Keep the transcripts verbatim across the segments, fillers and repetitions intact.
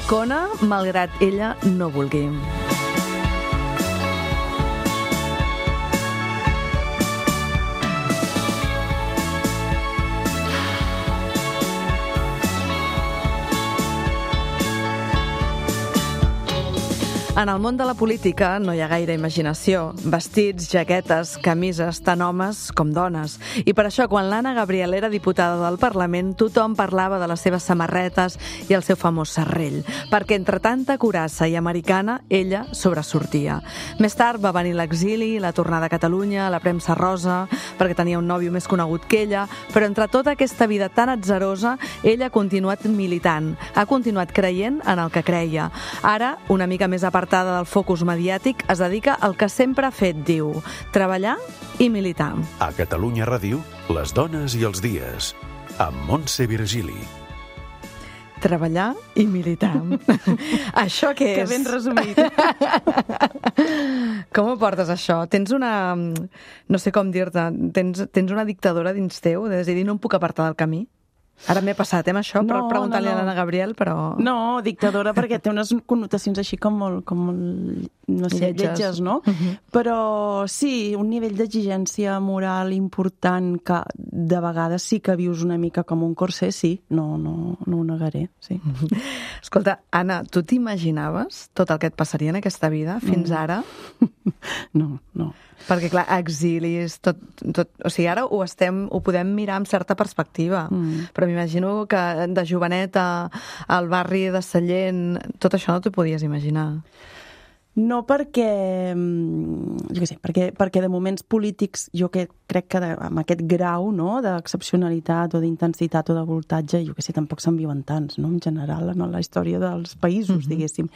D'Arcona, malgrat ella no vulgui. En el món de la política no hi ha gaire imaginació. Vestits, jaquetes, camises, tant homes com dones. I per això, quan l'Anna Gabriel era diputada del Parlament, tothom parlava de les seves samarretes i el seu famós serrell, perquè entre tanta curassa i americana, ella sobresortia. Més tard va venir l'exili, la tornada a Catalunya, la premsa rosa, perquè tenia un nòvio més conegut que ella, però entre tota aquesta vida tan atzerosa, ella ha continuat militant, ha continuat creient en el que creia. Ara, una mica més apartada del focus mediàtic, es dedica al que sempre ha fet, diu, treballar i militar. A Catalunya Ràdio, les dones i els dies, amb Montse Virgili. Treballar i militar. Això què és? Que ben resumit. Com ho portes, això? Tens una... No sé com dir-te. Tens, tens una dictadora dins teu? De decidir, no em puc apartar del camí? Ara m'he passat, eh, amb això, però No, preguntant-li no, no. a l'Anna Gabriel, però... No, dictadora, perquè té unes connotacions així com molt, com molt no sé, Lletges. lletges, no? Mhm. Però sí, un nivell d'exigència moral important que de vegades sí que vius una mica com un corser, sí, no, no, no ho negaré, sí. Escolta, Anna, tu t'imaginaves tot el que et passaria en aquesta vida fins ara? No, no. Perquè, clar, exilis, tot, tot... O sigui, ara ho estem, ho podem mirar amb certa perspectiva, Mm. però m'imagino que de joveneta al barri de Sallent, tot això no t'ho podies imaginar. No perquè, mm, jo què sé, perquè, perquè de moments polítics jo que crec que de, amb aquest grau, no?, d'excepcionalitat o d'intensitat o de voltatge, jo què sé, tampoc se'n viuen tants, no?, en general, en la història dels països, mm-hmm. diguéssim.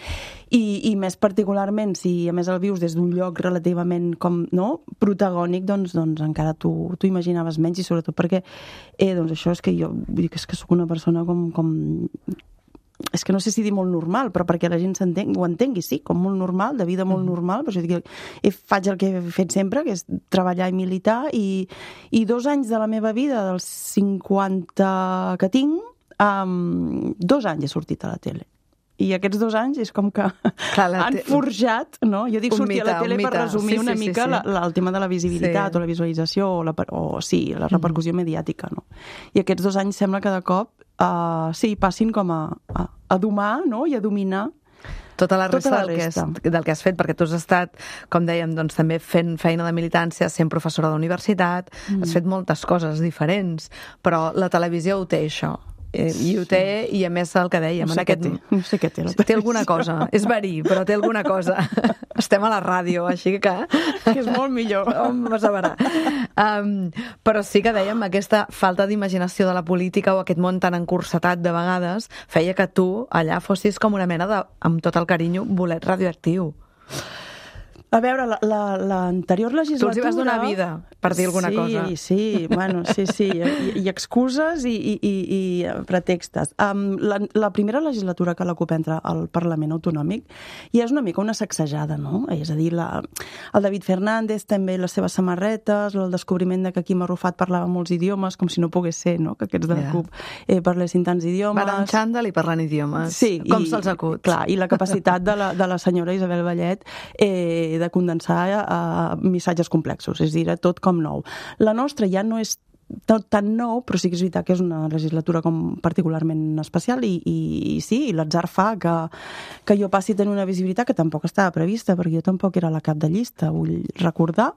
I, I més particularment, si a més el vius des d'un lloc relativament com, no?, protagònic, doncs, doncs encara tu, tu imaginaves menys, i sobretot perquè, eh, doncs això és que jo, vull dir que és que sóc una persona com... com és que no sé si dir molt normal, però perquè la gent s'entengui, ho entengui, sí, com molt normal, de vida molt normal, però jo dic, eh, faig el que he fet sempre, que és treballar i militar, i, i dos anys de la meva vida, dels cinquanta que tinc, um, dos anys he sortit a la tele. I aquests dos anys és com que Clar, la han te- forjat, no? Jo dic Un sortir mite, a la tele un per mite. resumir Sí, una sí, sí, mica sí. la, la, el tema de la visibilitat Sí. o la visualització o, la, per- o sí, la repercussió mediàtica, no? I aquests dos anys sembla que de cop uh, sí, passin com a, a, a domar, no?, i a dominar Tota la Tota resta, la del, que resta. has, del que has fet, perquè tu has estat, com dèiem, doncs, també fent feina de militància, sent professora d'universitat, mm. has fet moltes coses diferents, però la televisió ho té, això. Eh, I ho té, i a més el que dèiem... no en sé què aquest... té, no sé què té la Té alguna cosa, és verí, però té alguna cosa. Estem a la ràdio, així que... que és molt millor. On vas a veure? Um, però sí que dèiem, aquesta falta d'imaginació de la política o aquest món tan encursetat de vegades feia que tu allà fossis com una mena de, amb tot el carinyo, bolet radioactiu. A veure, l'anterior la, la, legislatura... Tu els hi vas donar vida, per dir alguna sí, cosa. Sí, sí, bueno, sí, sí, i, i excuses i, i, i, i pretextes. Um, la, la primera legislatura que la CUP entra al Parlament Autonòmic ja és una mica una sacsejada, no? És a dir, la, el David Fernández també les seves samarretes, el descobriment de que Quim Arrufat parlava molts idiomes, com si no pogués ser, no?, que aquests de la Ja. CUP eh, parlessin tants idiomes. Van en xandall i parlant idiomes. Sí, com i, se'ls acut. Clar, i la capacitat de la, de la senyora Isabel Vallet eh, de condensar eh, missatges complexos, és a dir, tot com nou. La nostra ja no és tot tan nou, però sí que és veritat que és una legislatura com particularment especial i, i, i sí, i l'atzar fa que, que jo passi a tenir una visibilitat que tampoc estava prevista, perquè jo tampoc era la cap de llista, vull recordar,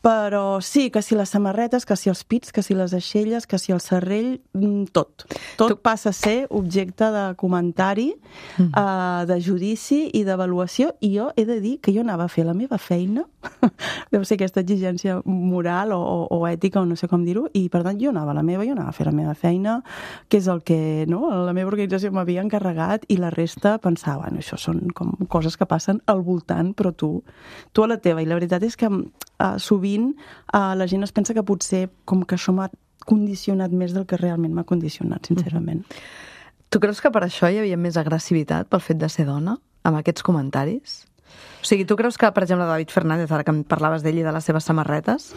però sí, que si les samarretes, que si els pits, que si les aixelles, que si el serrell, tot. Tot tu... passa a ser objecte de comentari, mm. uh, de judici i d'avaluació, i jo he de dir que jo anava a fer la meva feina, deu ser aquesta exigència moral o, o, o ètica, o no sé com dir-ho, i per tant jo anava a la meva, jo anava a fer la meva feina, que és el que no, la meva organització m'havia encarregat, i la resta pensava, bueno, això són com coses que passen al voltant, però tu, tu a la teva. I la veritat és que uh, sovint Uh, la gent es pensa que potser com que això m'ha condicionat més del que realment m'ha condicionat, sincerament. Tu creus que per això hi havia més agressivitat pel fet de ser dona, amb aquests comentaris? O sigui, tu creus que, per exemple, David Fernández, ara que em parlaves d'ell i de les seves samarretes,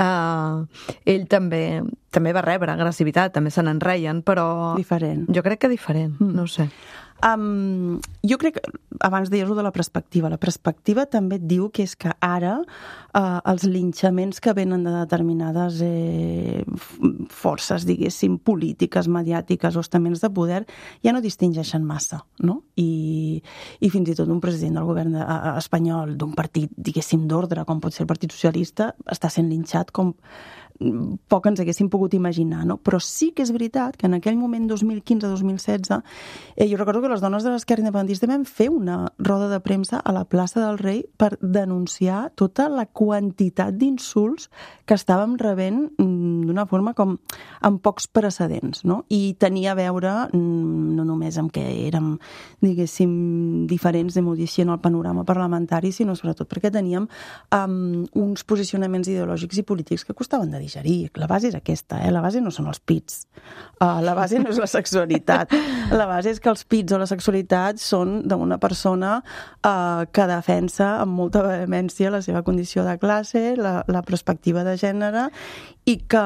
uh, ell també també va rebre agressivitat, també se n'en reien, però... Diferent. Jo crec que diferent, mm. no ho sé. Um, jo crec que, abans deies-ho de la perspectiva, la perspectiva també et diu que és que ara uh, els linxaments que venen de determinades eh, forces, diguéssim, polítiques, mediàtiques o estaments de poder ja no distingeixen massa, no? I, i fins i tot un president del govern de, uh, espanyol d'un partit, diguéssim, d'ordre, com pot ser el Partit Socialista, està sent linxat com poc ens haguéssim pogut imaginar, no? Però sí que és veritat que en aquell moment, dos mil quinze dos mil setze, eh, jo recordo que les dones de l'esquerra independentista vam fer una roda de premsa a la plaça del Rei per denunciar tota la quantitat d'insults que estàvem rebent d'una forma com amb pocs precedents, no? I tenia a veure no només amb que érem, diguéssim, diferents de modificar en el panorama parlamentari, sinó sobretot perquè teníem um, uns posicionaments ideològics i polítics que costaven de digerir. La base és aquesta, eh? La base no són els pits. Uh, la base no és la sexualitat. La base és que els pits o la sexualitat són d'una persona uh, que defensa amb molta vehemència la seva condició de classe, la, la perspectiva de gènere i que,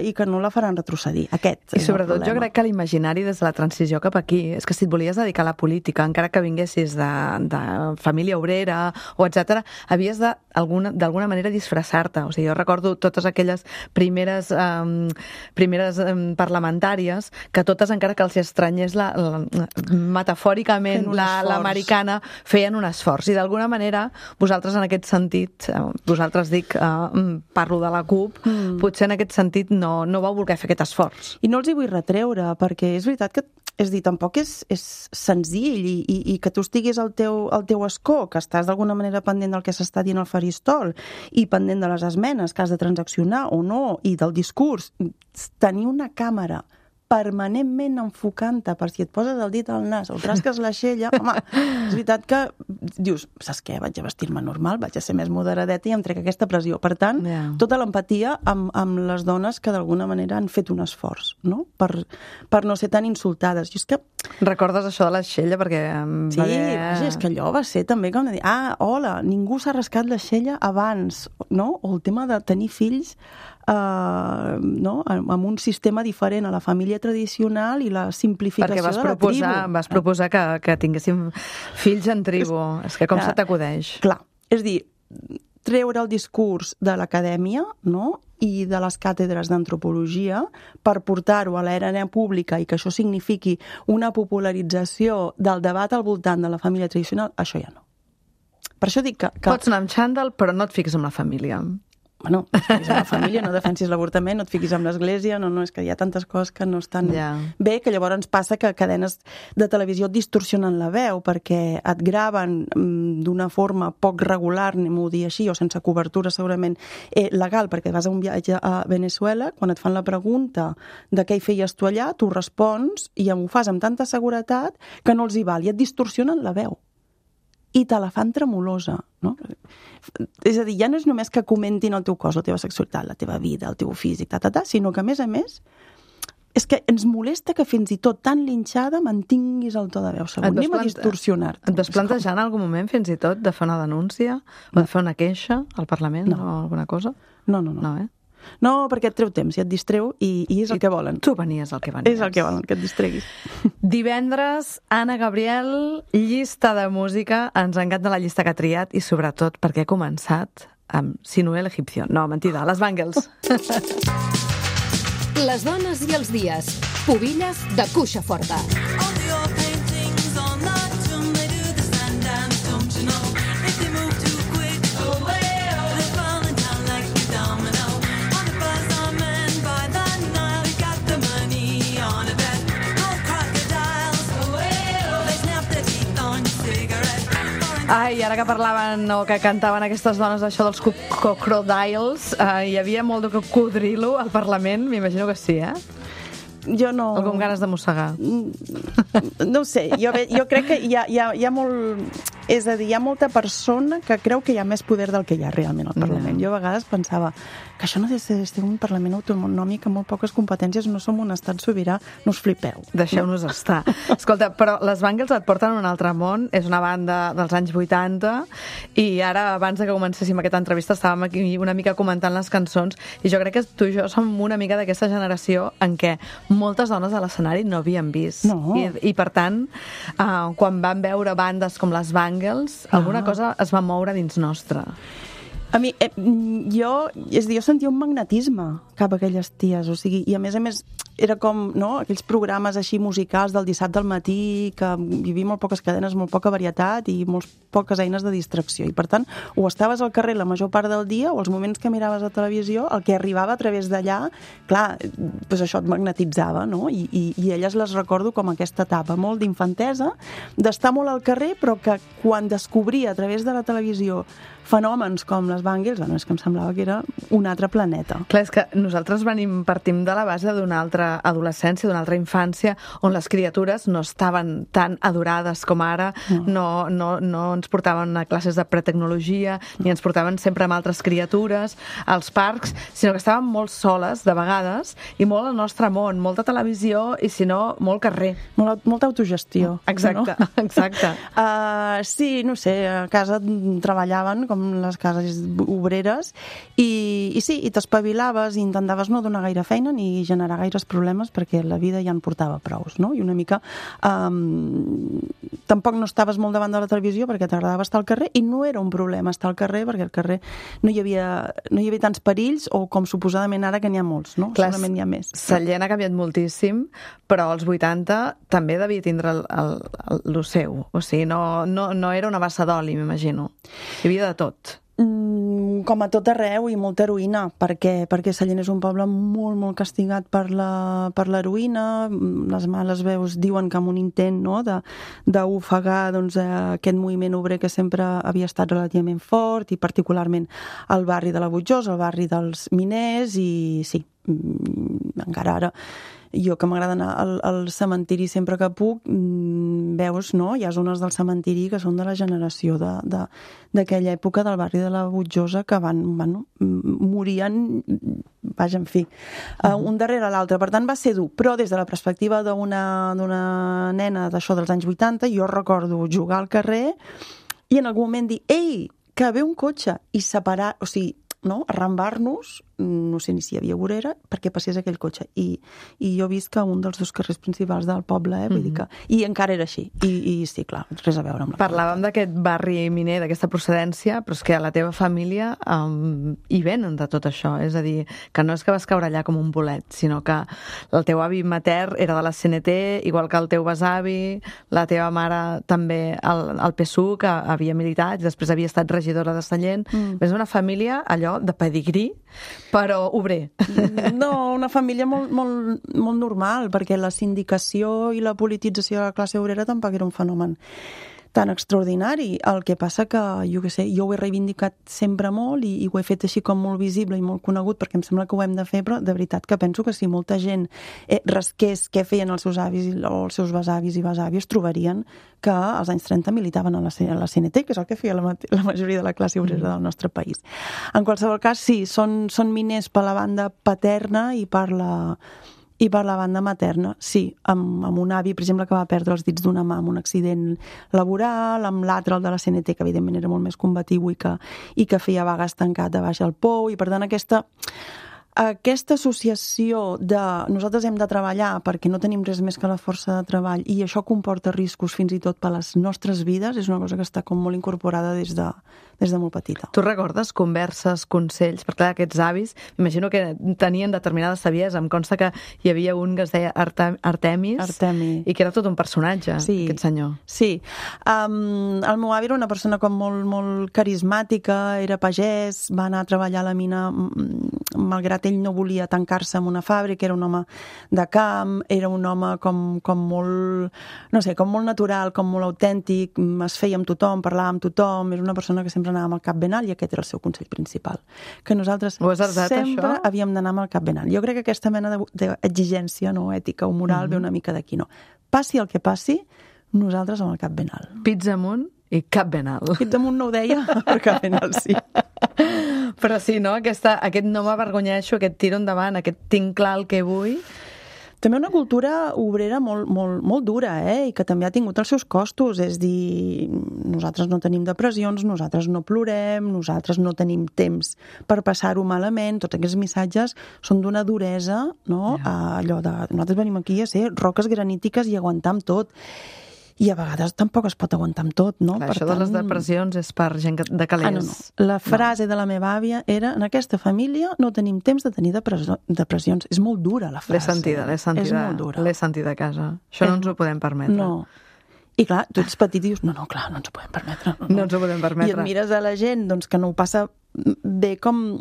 i que no la faran retrocedir. Aquest I sobretot jo crec que l'imaginari des de la transició cap aquí és que si et volies dedicar a la política, encara que vinguessis de, de família obrera o etcètera, havies de d'alguna manera disfressar-te. O sigui, jo recordo totes aquelles primeres, um, primeres um, parlamentàries que totes, encara que els estranyés la, la, metafòricament la, l'americana, feien un esforç. I d'alguna manera, vosaltres en aquest sentit, eh, vosaltres dic, eh, parlo de la CUP, mm. potser en aquest sentit no, no vau voler fer aquest esforç. I no els hi vull retreure, perquè és veritat que és dir, tampoc és, és senzill i, i, i que tu estiguis al teu, al teu escó, que estàs d'alguna manera pendent del que s'està dient al faristol i pendent de les esmenes que has de transaccionar o no, i del discurs, tenir una càmera permanentment enfocant-te per si et poses el dit al nas o trasques l'aixella, home, és veritat que dius, saps què, vaig a vestir-me normal, vaig a ser més moderadeta i em trec aquesta pressió. Per tant, yeah. tota l'empatia amb, amb les dones que d'alguna manera han fet un esforç, no? Per, per no ser tan insultades. I és que... Recordes això de l'aixella? Perquè sí, va haver... vaja, és que allò va ser també com de dir, ah, hola, ningú s'ha rascat l'aixella abans, no? O el tema de tenir fills Uh, no? amb un sistema diferent a la família tradicional i la simplificació vas de la proposar, tribu. Vas proposar que, que tinguéssim fills en tribu. És, és que com clar, se t'acudeix? Clar, és dir, treure el discurs de l'acadèmia, no? I de les càtedres d'antropologia per portar-ho a l'era pública i que això signifiqui una popularització del debat al voltant de la família tradicional, això ja no. Per això dic que... que... Pots anar amb xandall, però no et fiques amb la família. Bueno, no et fiquis amb la família, no defensis l'avortament, no et fiquis amb l'església, no, no, és que hi ha tantes coses que no estan yeah. bé, que llavors ens passa que cadenes de televisió et distorsionen la veu perquè et graven mm, d'una forma poc regular, anem-ho dir així, o sense cobertura segurament eh, legal, perquè vas a un viatge a Venezuela, quan et fan la pregunta de què hi feies tu allà, tu respons i ho fas amb tanta seguretat que no els hi val, i et distorsionen la veu. I te la fan tremolosa, no? És a dir, ja no és només que comentin el teu cos, la teva sexualitat, la teva vida, el teu físic, ta, ta, ta, sinó que, a més a més, és que ens molesta que fins i tot tan linxada mantinguis el to de veu segon. Anem a distorsionar-te. Et vas plantejar en algun moment, fins i tot, de fer una denúncia o de fer una queixa al Parlament no. o alguna cosa? No, no, no. No, eh? No, perquè et treu temps i et distreu i, i és el I que volen. Tu venies el que venies. És el que volen, que et distreguis. Divendres, Anna Gabriel, llista de música. Ens encanta la llista que ha triat i sobretot perquè ha començat amb Sinuel Egipcio. No, mentida, les Bangles. Les dones i els dies. Pubilles de Cuixa Forta. Ai, ara que parlaven o que cantaven aquestes dones això dels crocodiles, eh, hi havia molt de cocodrilo al Parlament, m'imagino que sí, eh? Jo no... Algú amb ganes de mossegar. No ho sé, jo, jo crec que hi ha, hi ha, hi ha molt... És a dir, hi ha molta persona que creu que hi ha més poder del que hi ha realment al Parlament. Jo a vegades pensava que això no és ser un Parlament autonòmic amb molt poques competències, no som un estat sobirà, no us flipeu. Deixeu-nos no? estar. Escolta, però les Bangles et porten a un altre món, és una banda dels anys vuitanta, i ara, abans de que comencéssim aquesta entrevista, estàvem aquí una mica comentant les cançons, i jo crec que tu i jo som una mica d'aquesta generació en què moltes dones a l'escenari no havien vist. No. I, i per tant, uh, quan van veure bandes com les Bangles, ah. alguna cosa es va moure dins nostre. A mi, eh, jo, és a dir, jo sentia un magnetisme cap a aquelles ties, o sigui, i a més a més era com, no?, aquells programes així musicals del dissabte al matí, que hi havia molt poques cadenes, molt poca varietat i molt poques eines de distracció, i per tant, o estaves al carrer la major part del dia, o els moments que miraves a televisió, el que arribava a través d'allà, clar, doncs això et magnetitzava, no?, I, i, i elles les recordo com aquesta etapa molt d'infantesa, d'estar molt al carrer, però que quan descobria a través de la televisió fenòmens com les Bangles, bueno, és que em semblava que era un altre planeta. Clar, és que nosaltres venim, partim de la base d'una altra adolescència, d'una altra infància, on les criatures no estaven tan adorades com ara, no, no, no ens portaven a classes de pretecnologia, ni ens portaven sempre amb altres criatures als parcs, sinó que estàvem molt soles, de vegades, i molt al nostre món, molta televisió, i si no, molt carrer. Molt, molta autogestió. Exacte, no? exacte. Uh, sí, no sé, a casa treballaven, com les cases obreres, i, i sí, i t'espavilaves i intentaves no donar gaire feina ni generar gaires problemes perquè la vida ja en portava prous, no? I una mica um, tampoc no estaves molt davant de la televisió perquè t'agradava estar al carrer, i no era un problema estar al carrer perquè al carrer no hi havia, no hi havia tants perills, o com suposadament ara que n'hi ha molts, no? Clar, segurament n'hi ha més. Sallent ha canviat moltíssim, però als vuitanta també devia tindre el, el, el, el seu, o sigui, no, no, no era una bassa d'oli, m'imagino. Hi havia de tot. Mm, com a tot arreu, i molta heroïna, perquè, perquè Sallent és un poble molt, molt castigat per la, per l'heroïna. Les males veus diuen que amb un intent, no?, de, d'ofegar doncs, aquest moviment obrer que sempre havia estat relativament fort, i particularment al barri de la Butjosa, al barri dels miners, i sí, encara ara jo que m'agrada anar al, al cementiri sempre que puc, veus, no? Hi ha zones del cementiri que són de la generació de, de, d'aquella època del barri de la Butjosa que van, bueno, morien, vaja, en fi, uh, un darrere l'altre. Per tant, va ser dur. Però des de la perspectiva d'una, d'una nena d'això dels anys vuitanta, jo recordo jugar al carrer i en algun moment dir, ei, que ve un cotxe, i separar, o sigui, no? Arrambar-nos, no sé ni si hi havia vorera, perquè passés aquell cotxe. I, i jo visc a un dels dos carrers principals del poble, eh? Vull dir que... I encara era així. I, i sí, clar, res a veure amb la... Parlàvem d'aquest barri miner, d'aquesta procedència, però és que a la teva família um, hi venen de tot això. És a dir, que no és que vas caure allà com un bolet, sinó que el teu avi matern era de la C N T, igual que el teu besavi, la teva mare també al, al P S U, que havia militat, i després havia estat regidora de Sallent. Mm. És una família, allò, de pedigrí, però obrer. No, una família molt, molt, molt normal, perquè la sindicació i la politització de la classe obrera tampoc era un fenomen tan extraordinari. El que passa que, jo què sé, jo ho he reivindicat sempre molt i, i ho he fet així com molt visible i molt conegut, perquè em sembla que ho hem de fer, però de veritat que penso que si molta gent eh, rasqués què feien els seus avis o els seus besavis i besàvies, trobarien que als anys trenta militaven a la, a la C N T, que és el que feia la, la majoria de la classe obrera del nostre país. En qualsevol cas, sí, són, són miners per la banda paterna i per la... I per la banda materna, sí, amb, amb un avi, per exemple, que va perdre els dits d'una mà amb un accident laboral, amb l'altre, el de la C N T, que evidentment era molt més combatiu i que, i que feia vagues tancat a baix al pou, i per tant aquesta... Aquesta associació de nosaltres hem de treballar perquè no tenim res més que la força de treball i això comporta riscos fins i tot per les nostres vides és una cosa que està com molt incorporada des de, des de molt petita. Tu recordes converses, consells? Perquè clar, aquests avis, m'imagino que tenien determinada saviesa. Em consta que hi havia un que es deia Artem, Artemis, Artemi. I que era tot un personatge, sí, aquest senyor. Sí. Um, el meu avi era una persona com molt, molt carismàtica, era pagès, va anar a treballar a la mina malgrat ell no volia tancar-se en una fàbrica, era un home de camp, era un home com, com molt, no sé, com molt natural, com molt autèntic, es feia amb tothom, parlava amb tothom, era una persona que sempre anava amb el cap ben alt i aquest era el seu consell principal. Que nosaltres heredat, sempre això? havíem d'anar amb el cap ben alt. Jo crec que aquesta mena d'exigència no, ètica o moral mm-hmm. ve una mica d'aquí, no. Passi el que passi, nosaltres amb el cap ben alt. Pits amunt? I cap ben alt. Aquest damunt no ho deia, però cap ben alt sí. Però sí, no? Aquesta, aquest no m'avergonyeixo, aquest tiro endavant, aquest tinc clar el que vull. També una cultura obrera molt, molt, molt dura, eh? I que també ha tingut els seus costos. És dir, nosaltres no tenim depressions, nosaltres no plorem, nosaltres no tenim temps per passar-ho malament. Tots aquests missatges són d'una duresa, no? Yeah. Allò de, nosaltres venim aquí a ser roques granítiques i aguantar amb tot. I a vegades tampoc es pot aguantar amb tot, no? Clar, per això tant... de les depressions és per gent de calés. Ah, no, no. La frase no. de la meva àvia era: en aquesta família no tenim temps de tenir depressió, depressions. És molt dura, la frase. L'he sentida, l'he sentida. És molt dura. L'he sentida a casa. Això eh, no ens ho podem permetre. No. I clar, tu ets petit i dius, no, no, clar, no ens ho podem permetre. No, no. no ens ho podem permetre. I et mires a la gent doncs, que no ho passa bé com...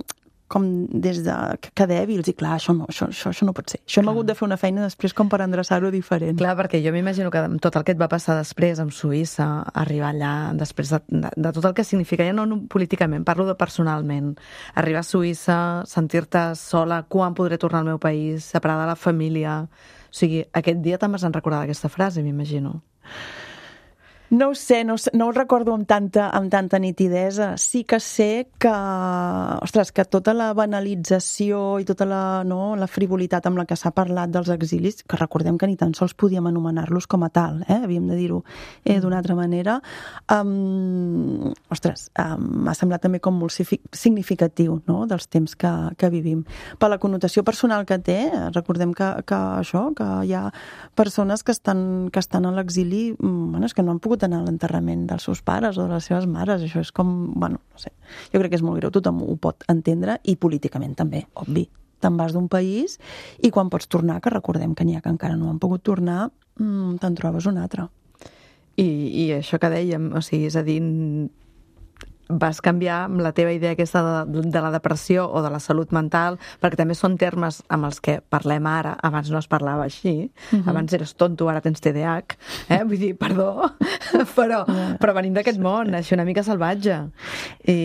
com des de... que dèbils, i clar, això no, això, això, això no pot ser. Això hem hagut de fer una feina després com per endreçar-ho diferent. Clar, perquè jo m'imagino que tot el que et va passar després amb Suïssa, arribar allà, després de, de, de tot el que significa, ja no políticament, parlo de personalment, arribar a Suïssa, sentir-te sola, quan podré tornar al meu país, separada de la família... O sigui, aquest dia te'n vas recordar d'aquesta frase, m'imagino. No ho sé, no, no ho recordo amb tanta, amb tanta nitidesa. Sí que sé que, ostres, que tota la banalització i tota la, no, la frivolitat amb la que s'ha parlat dels exilis, que recordem que ni tan sols podíem anomenar-los com a tal, eh? Havíem de dir-ho eh, d'una altra manera, um, ostres, um, m'ha semblat també com molt significatiu, no?, dels temps que, que vivim. Per la connotació personal que té, recordem que, que això, que hi ha persones que estan, que estan a l'exili, bueno, és que no han pogut anar a l'enterrament dels seus pares o de les seves mares. Això és com, bueno, no sé, jo crec que és molt greu, tothom ho pot entendre, i políticament també, obvi. Te'n vas d'un país i quan pots tornar, que recordem que n'hi ha que encara no han pogut tornar, mmm, te'n trobes un altre. I, i això que dèiem, o sigui, és a dir, vas canviar amb la teva idea aquesta de, de la depressió o de la salut mental, perquè també són termes amb els que parlem ara. Abans no es parlava així. Uh-huh. Abans eres tonto, ara tens T D A H. Eh? Vull dir, perdó, però, yeah. però venim d'aquest món, així una mica salvatge. I,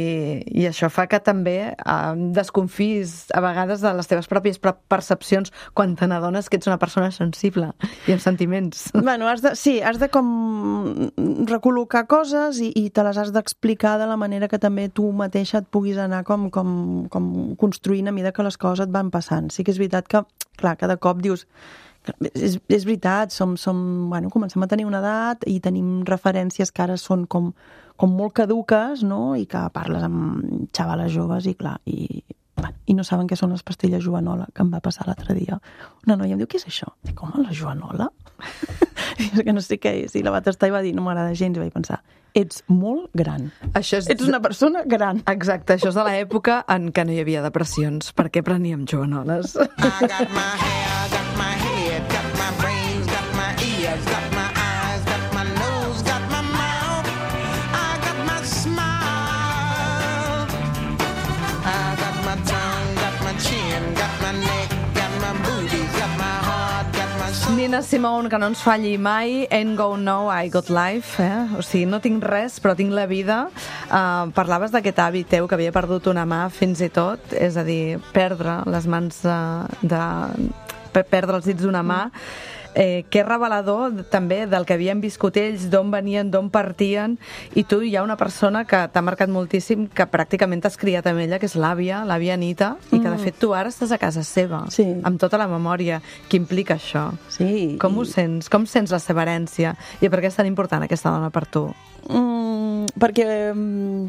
i això fa que també eh, desconfis a vegades de les teves pròpies percepcions quan te n'adones que ets una persona sensible i amb sentiments. Bueno, has de, sí, has de com recol·locar coses i, i te les has d'explicar de la manera que també tu mateixa et puguis anar com, com, com construint a mesura que les coses et van passant. Sí que és veritat que, clar, cada cop dius, és, és veritat, som, som, bueno, comencem a tenir una edat i tenim referències que ara són com, com molt caduques, no?, i que parles amb xavales joves i, clar, i, bueno, i no saben què són les pastilles Joanola, que em va passar l'altre dia. Una noia em diu, què és això? Dic, com, la Joanola? Que no sé què és. I la va tastar i va dir, no m'agrada gens, i vaig pensar, ets molt gran. Això és... Ets una persona gran. Exacte, això és de l'època en què no hi havia depressions. Per què preníem Joanoles? I got my hair, got my head, got my brains, got my ears, got my eyes, got my nose, got my mouth, I got my smile, I got my tongue, got my chin, got my neck, got my boobies, got my heart, got my soul. Nina Simone, que no ens falli mai. Ain't Go No, I Got Life, eh? O sigui, no tinc res, però tinc la vida. Uh, parlaves d'aquest avi teu que havia perdut una mà fins i tot, és a dir, perdre les mans uh, de... perdre els dits d'una mà. Eh, que és revelador també del que havien viscut ells, d'on venien, d'on partien, i tu hi ha una persona que t'ha marcat moltíssim, que pràcticament t'has criat amb ella, que és l'àvia, l'àvia Anita, i que de fet tu ara estàs a casa seva, sí, amb tota la memòria que implica això. Sí. Com ho sents? Com sents la seva herència? I per què és tan important aquesta dona per tu? Mm, perquè,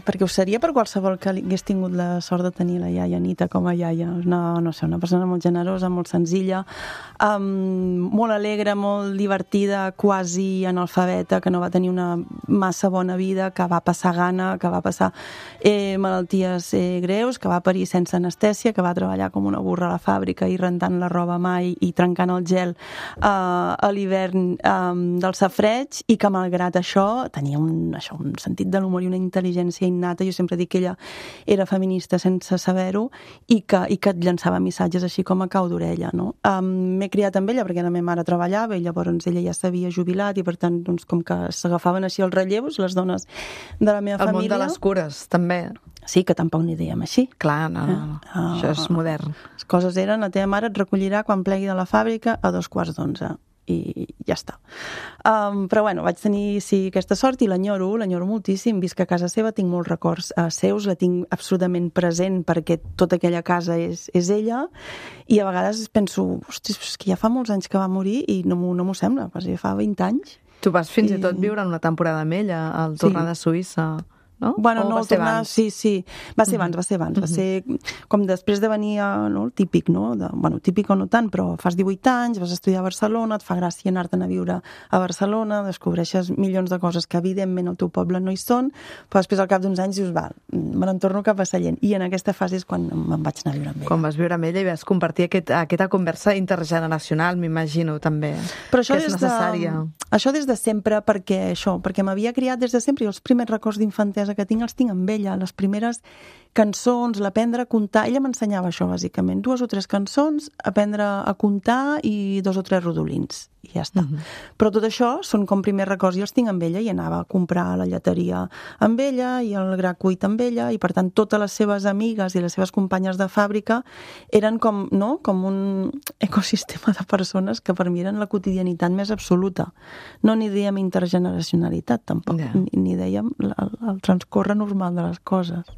perquè ho seria per qualsevol que hagués tingut la sort de tenir la iaia Anita com a iaia. No, no sé, una persona molt generosa, molt senzilla, um, molt alegre, molt divertida, quasi analfabeta, que no va tenir una massa bona vida, que va passar gana, que va passar eh, malalties eh, greus, que va parir sense anestèsia, que va treballar com una burra a la fàbrica i rentant la roba mai i trencant el gel uh, a l'hivern um, del safreig, i que malgrat això tenia un això, un sentit de l'humor i una intel·ligència innata. Jo sempre dic que ella era feminista sense saber-ho i que, i que et llançava missatges així com a cau d'orella, no? Um, m'he criat amb ella perquè la meva mare treballava i llavors ella ja s'havia jubilat i per tant, doncs, com que s'agafaven així els relleus, les dones de la meva el família. El món de les cures, també. Sí, que tampoc n'hi dèiem així. Clar, no, no, no. Uh, això és modern. Les coses eren, la teva mare et recollirà quan plegui de la fàbrica a dos quarts d'onze. i ja està. Um, però bueno, vaig tenir sí, aquesta sort i l'enyoro, l'enyoro moltíssim, visc a casa seva, tinc molts records uh, seus, la tinc absolutament present perquè tota aquella casa és, és ella, i a vegades penso, hosti, és que ja fa molts anys que va morir i no m'ho no m'ho sembla, ja fa vint anys. Tu vas fins i, I tot viure una temporada amb ella al tornar sí. de Suïssa, no? Bueno, o no, va ser tornar, abans? sí, sí, va ser abans, va ser abans, va ser com després de venir, a, no, el típic, no? De, bueno, típic o no tant, però fas divuit anys, vas estudiar a Barcelona, et fa gràcia anar-te'n a viure a Barcelona, descobreixes milions de coses que evidentment al teu poble no hi són, però després al cap d'uns anys dius, va, me n'en torno cap a Sallent, i en aquesta fase és quan me'n vaig anar a viure amb ella. Quan vas viure amb ella i vas compartir aquest, aquesta conversa intergeneracional, m'imagino, també, però això que és des necessària. De, això des de sempre, perquè això, perquè m'havia criat des de sempre, i els primers records d'infantesa que tinc els tinc amb ella, les primeres cançons, l'aprendre a comptar, ella m'ensenyava això bàsicament, dues o tres cançons, aprendre a comptar i dos o tres rodolins, i ja està. Uh-huh. Però tot això són com primers records, jo els tinc amb ella i anava a comprar a la lleteria amb ella i el gra cuit amb ella, i per tant totes les seves amigues i les seves companyes de fàbrica eren com, no? Com un ecosistema de persones que per mi eren la quotidianitat més absoluta. No ni dèiem intergeneracionalitat tampoc, yeah. ni, ni dèiem el, el transcorre normal de les coses.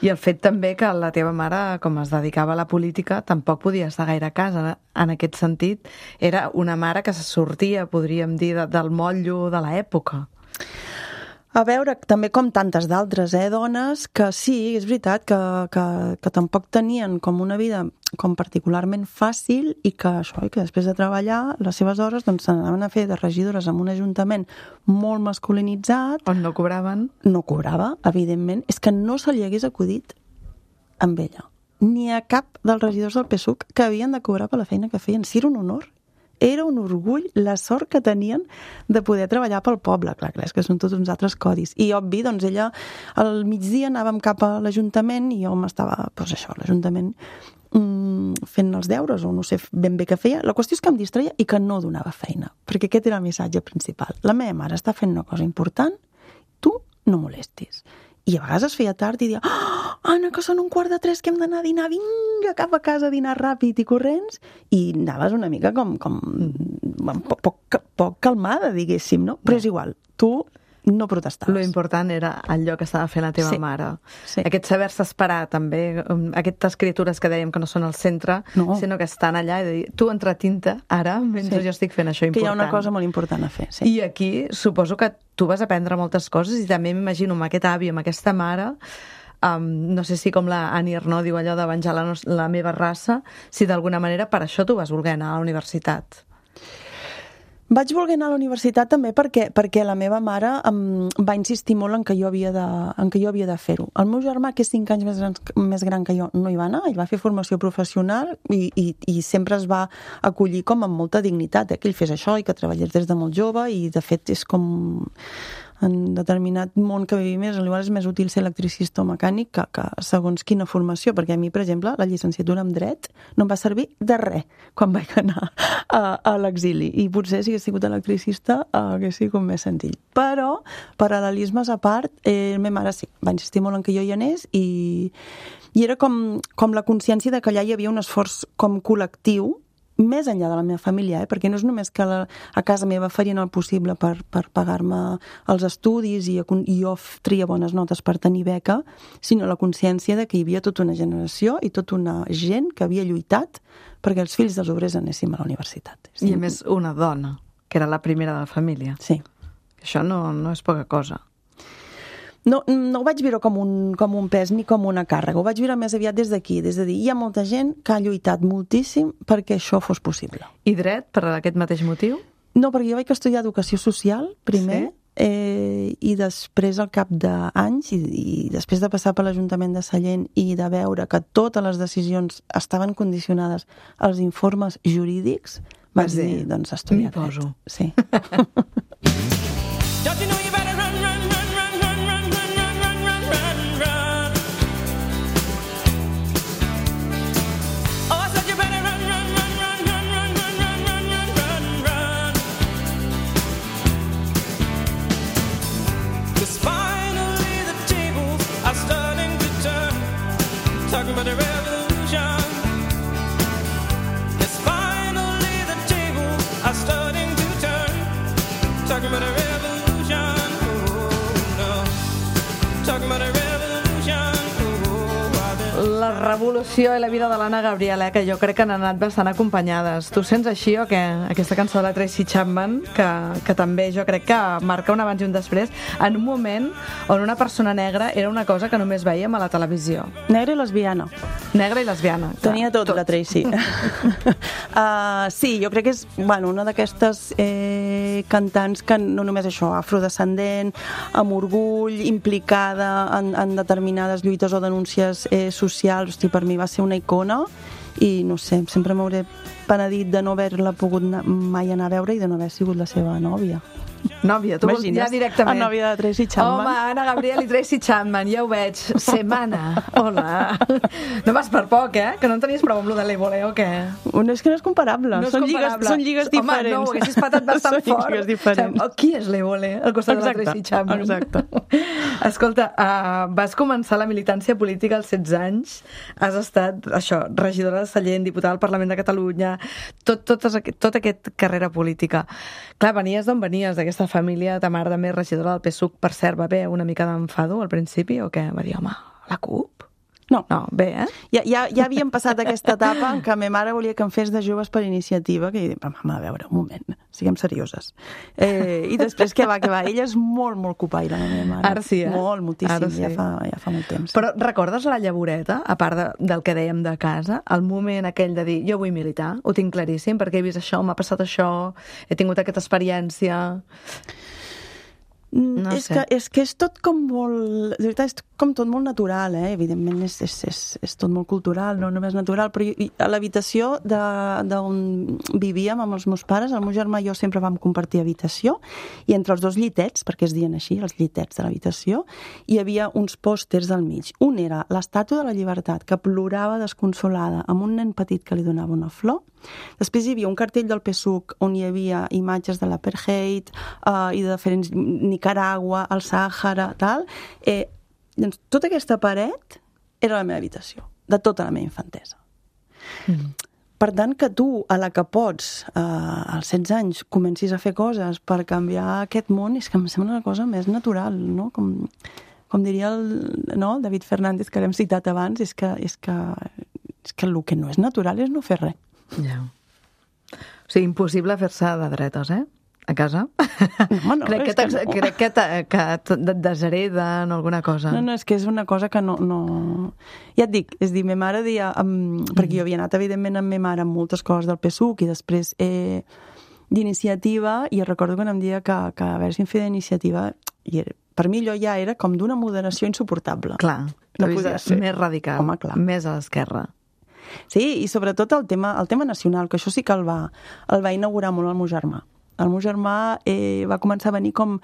I el fet també que la teva mare, com es dedicava a la política, tampoc podia estar gaire a casa. En aquest sentit, era una mare que se sortia, podríem dir, de, del motllo de l'època. A veure, també com tantes d'altres, eh, dones, que sí, és veritat, que, que, que tampoc tenien com una vida com particularment fàcil i que això, i que després de treballar, les seves hores doncs s'anaven a fer de regidores en un ajuntament molt masculinitzat. On no cobraven? No cobrava, evidentment. És que no se li hagués acudit amb ella. Ni a cap dels regidors del P S U C que havien de cobrar per la feina que feien. Sí, era un honor. Era un orgull la sort que tenien de poder treballar pel poble. Clar, clar, és que són tots uns altres codis. I obvi, doncs ella al migdia anàvem cap a l'Ajuntament i jo m'estava, doncs això, a l'Ajuntament mmm, fent els deures, o no sé ben bé què feia. La qüestió és que em distreia i que no donava feina, perquè aquest era el missatge principal. La meva mare està fent una cosa important, tu no molestis. I a vegades es feia tard i dia, oh, Anna, que són un quart de tres, que hem d'anar a dinar, vinga, cap a casa a dinar ràpid i corrents, i anaves una mica com, com poc, poc, poc calmada, diguéssim, no? Però és igual, tu no protestaves. Lo important era allò que estava fent la teva sí, mare. Sí. Aquest saber-se esperar, també, aquestes criatures que dèiem que no són al centre, no. sinó que estan allà i dir, tu entretinta ara, mentre sí. jo estic fent això important. Que hi ha una cosa molt important a fer, sí. I aquí suposo que tu vas aprendre moltes coses i també m'imagino amb aquest avi, amb aquesta mare, um, no sé si com la Annie Ernaux diu allò de venjar la, la meva raça, si d'alguna manera per això tu vas voler anar a la universitat. Vaig voler anar a la universitat també perquè, perquè la meva mare em va insistir molt en que jo havia de, en que jo havia de fer-ho. El meu germà, que és cinc anys més gran, més gran que jo, no hi va anar, ell va fer formació professional i, i, i sempre es va acollir com amb molta dignitat, eh, que ell fes això i que treballés des de molt jove, i de fet és com en determinat món que vivim més, potser és més útil ser electricista o mecànic que, que segons quina formació, perquè a mi, per exemple, la llicenciatura en dret no em va servir de res quan vaig anar a, a l'exili, i potser si hagués sigut electricista hagués sigut més senzill. Però, paral·lelismes a part, eh, la meva mare sí, va insistir molt en que jo hi anés, i, i era com, com la consciència de que allà hi havia un esforç com col·lectiu més enllà de la meva família, eh? Perquè no és només que la, a casa meva farien el possible per, per pagar-me els estudis i, i jo tria bones notes per tenir beca, sinó la consciència de que hi havia tota una generació i tota una gent que havia lluitat perquè els fills dels obrers anéssim a la universitat. I a més una dona, que era la primera de la família. Sí. Això no, no és poca cosa. No, no ho vaig viure com un, com un pes ni com una càrrega, ho vaig viure més aviat des d'aquí, des de dir, hi ha molta gent que ha lluitat moltíssim perquè això fos possible. I dret, per aquest mateix motiu? No, perquè jo vaig estudiar educació social, primer, sí? eh, i després, al cap d'anys, i, i després de passar per l'Ajuntament de Sallent i de veure que totes les decisions estaven condicionades als informes jurídics, vaig dir, dir doncs, estudiar dret. M'hi poso. Sí. About a revolution. Yes, finally the tables are starting. revolució i la vida de l'Anna Gabriel, eh, que jo crec que han anat bastant acompanyades. Tu sents així o què? Aquesta cançó de la Tracy Chapman, que, que també jo crec que marca un abans i un després, en un moment on una persona negra era una cosa que només veiem a la televisió. Negra i lesbiana. Negra i lesbiana. Tenia tot, tot. La Tracy. uh, sí, jo crec que és bueno, una d'aquestes eh, cantants que no només això, afrodescendent, amb orgull, implicada en, en determinades lluites o denúncies eh, socials. Hosti, per mi va ser una icona i no sé, sempre m'hauré penedit de no haver-la pogut mai anar a veure i de no haver sigut la seva nòvia. Nòvia, tu vols ja directament. La nòvia de Tracy Chapman. Home, Anna Gabriel i Tracy Chapman, ja ho veig. Semana, hola. No vas per poc, eh? Que no en tenies prou amb lo de l'Evole, o què? No, és que no és comparable. No és són, comparable. Lligues, són lligues diferents. Home, no, ho haguessis patat bastant són fort. Són lligues diferents. O sigui, qui és l'Evole al costat exacte, de la Tracy Chapman? Exacte. Escolta, uh, vas començar la militància política als setze anys. Has estat, això, regidora de Sallent, diputada al Parlament de Catalunya, tot, tot, tot aquest carrera política. Clar, venies d'on venies, d'aquesta família, ta mare també regidora del P S U C, per cert, va haver una mica d'enfado al principi, o què? Va dir, home, la CUP? No. No, bé, eh? Ja, ja, ja havíem passat aquesta etapa en què ma mare volia que em fes de joves per iniciativa, que jo dic, mama, a veure, un moment, siguem serioses. Eh, I després, què va, què va? Ella és molt, molt copaire, la meva mare. Ara sí, eh? Molt, moltíssim, Ara sí. ja, fa, ja fa molt temps. Però recordes la llavoreta, a part de, del que dèiem de casa, el moment aquell de dir, jo vull militar, ho tinc claríssim, perquè he vist això, m'ha passat això, he tingut aquesta experiència... No és, que, és que és tot com molt... De veritat, és com tot molt natural, eh? Evidentment és, és, és, és tot molt cultural, no només natural, però jo, a l'habitació d'on vivíem amb els meus pares, el meu germà i jo sempre vam compartir habitació, i entre els dos llitets, perquè es diuen així, els llitets de l'habitació, hi havia uns pòsters al mig. Un era l'estàtua de la llibertat, que plorava desconsolada, amb un nen petit que li donava una flor. Després hi havia un cartell del P S U C on hi havia imatges de l'apartheid uh, i de diferents... Nicaragua, el Sàhara, tal. Eh, doncs, tota aquesta paret era la meva habitació, de tota la meva infantesa. Mm. Per tant, que tu, a la que pots, eh, als setze anys, comencis a fer coses per canviar aquest món, és que em sembla una cosa més natural, no? Com, com diria el, no? el David Fernández, que l'hem citat abans, és que, és, que, és que el que no és natural és no fer res. Ja. O sigui, impossible fer-se de dretes, eh? A casa? No, no, crec, que que no. crec que, que et deshereden o alguna cosa. No, no, és que és una cosa que no... no... Ja et dic, és dir, ma mare deia... Um, mm. Perquè jo havia anat, evidentment, amb ma mare amb moltes coses del P S U C i després eh, d'iniciativa, i recordo que em dia que, que a veure si em feia d'iniciativa, i era, per mi allò ja era com d'una moderació insuportable. Clar, no podia ser. Més radical, home, clar. Més a l'esquerra. Sí, i sobretot el tema, el tema nacional, que això sí que el va, el va inaugurar molt el meu germà. El meu germà eh, va començar a venir com,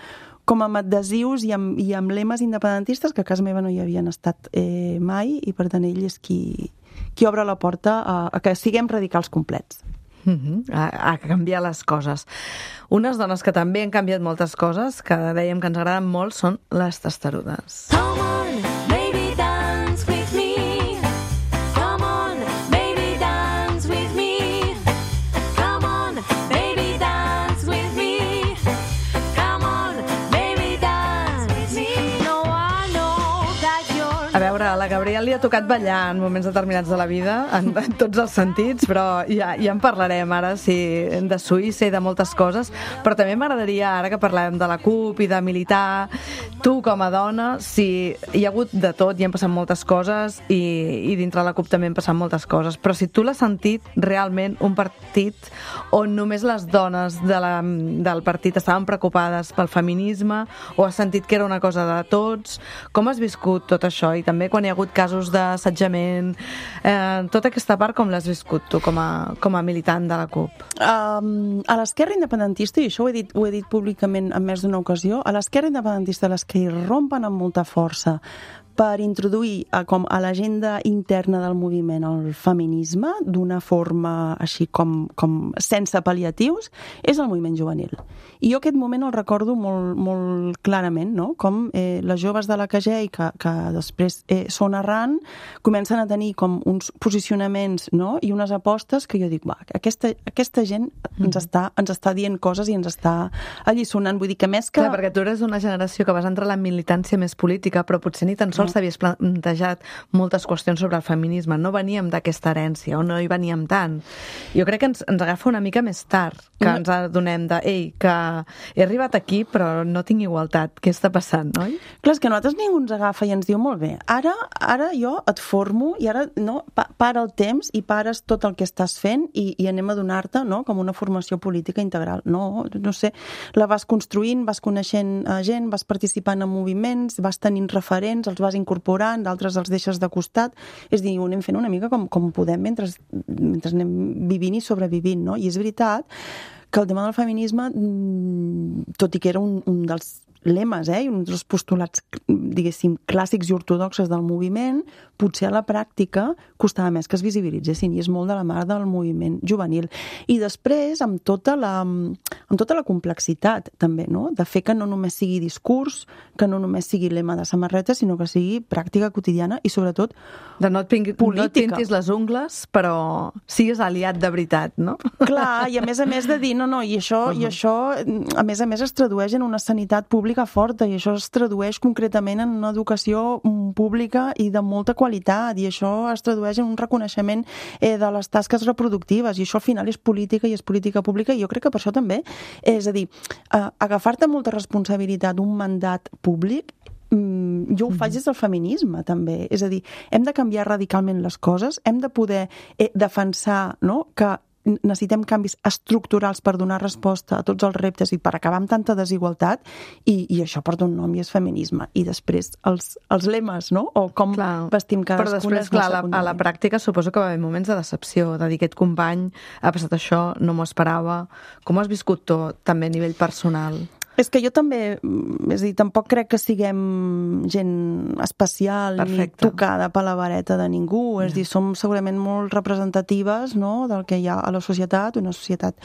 com amb adhesius i amb, i amb lemes independentistes que a casa meva no hi havien estat eh, mai, i per tant ell és qui, qui obre la porta a, a que siguem radicals complets. Mm-hmm. a, a canviar les coses. Unes dones que també han canviat moltes coses, que dèiem que ens agraden molt, són les testarudes. Come on, baby, dance with me. Come on, baby, dance with me. Come on, baby, dance with me. Come on, baby, dance with me. No, I know that you're... A veure, a la Gabriel li ha tocat ballar en moments determinats de la vida, en, en tots els sentits, però ja, ja en parlarem ara, sí, de Suïssa i de moltes coses, però també m'agradaria, ara que parlem de la CUP i de militar, tu com a dona, si hi ha hagut de tot i han passat moltes coses, i, i dintre la CUP també han passat moltes coses, però si tu l'has sentit realment un partit on només les dones de la, del partit estaven preocupades pel feminisme, o has sentit que era una cosa de tots, com has viscut tot això? I també quan hi ha hagut casos d'assetjament, eh, tota aquesta part com l'has viscut tu com a, com a militant de la CUP? Um, a l'esquerra independentista, i això ho he dit, ho he dit públicament en més d'una ocasió, a l'esquerra independentista, les que hi rompen amb molta força per introduir a, com a l'agenda interna del moviment el feminisme d'una forma així com, com sense pal·liatius, és el moviment juvenil. I jo aquest moment el recordo molt, molt clarament, no? Com eh, les joves de la K G I que, que després eh, són arran, comencen a tenir com uns posicionaments, no? I unes apostes que jo dic, va, aquesta, aquesta gent ens està, ens està dient coses i ens està alliçonant. Vull dir que més que... Clar, perquè tu eres una generació que vas entrar a la militància més política, però potser ni tan sols sols t'havies plantejat moltes qüestions sobre el feminisme, no veníem d'aquesta herència, o no hi veníem tant. Jo crec que ens, ens agafa una mica més tard, que no. ens adonem de, ei, que he arribat aquí però no tinc igualtat, què està passant, oi? Clar, és que a nosaltres ningú ens agafa i ens diu, molt bé, ara ara jo et formo i ara no, pa, para el temps i pares tot el que estàs fent i, i anem a donar-te, no?, com una formació política integral. No, no sé, la vas construint, vas coneixent gent, vas participant en moviments, vas tenint referents, els vas incorporant, d'altres els deixes de costat. És a dir, ho anem fent una mica com, com podem mentre, mentre anem vivint i sobrevivint, no? I és veritat que el tema del feminisme, tot i que era un, un dels lemes, eh, i un dels postulats, diguéssim, clàssics i ortodoxes del moviment, potser a la pràctica costava més que es visibilitzessin, i és molt de la mà del moviment juvenil. I després, amb tota la, amb tota la complexitat, també, no?, de fer que no només sigui discurs, que no només sigui lema de samarreta, sinó que sigui pràctica quotidiana i, sobretot, de no et, pingui, no et pintis les ungles, però sigues aliat de veritat, no? Clar, i a més a més de dir, no, no, i això, uh-huh. i això a més a més es tradueix en una sanitat pública forta, i això es tradueix concretament en una educació pública i de molta qualitat, i això es tradueix en un reconeixement eh, de les tasques reproductives, i això al final és política i és política pública, i jo crec que per això també, és a dir, eh, agafar-te molta responsabilitat d'un mandat públic, mm, jo ho faig des del feminisme també, és a dir, hem de canviar radicalment les coses, hem de poder eh, defensar, no?, que necessitem canvis estructurals per donar resposta a tots els reptes i per acabar amb tanta desigualtat, i, i això porta un nom i és feminisme. I després els, els lemes, no?, o com clar, vestim cadascuna. Però després, clar, a la, a la pràctica suposo que va haver moments de decepció, de dir, aquest company ha passat això, no m'ho esperava. Com has viscut tu, també a nivell personal? És que jo també, és a dir, tampoc crec que siguem gent especial Perfecte. Ni tocada per la vareta de ningú, és a dir, som segurament molt representatives, no?, del que hi ha a la societat, una societat,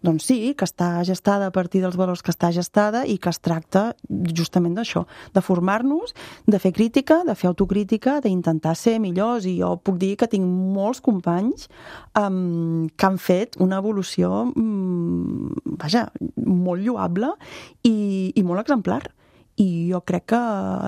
doncs sí, que està gestada a partir dels valors que està gestada i que es tracta justament d'això, de formar-nos, de fer crítica, de fer autocrítica, d'intentar ser millors, i jo puc dir que tinc molts companys um, que han fet una evolució, um, vaja, molt lloable i, i molt exemplar. I jo crec que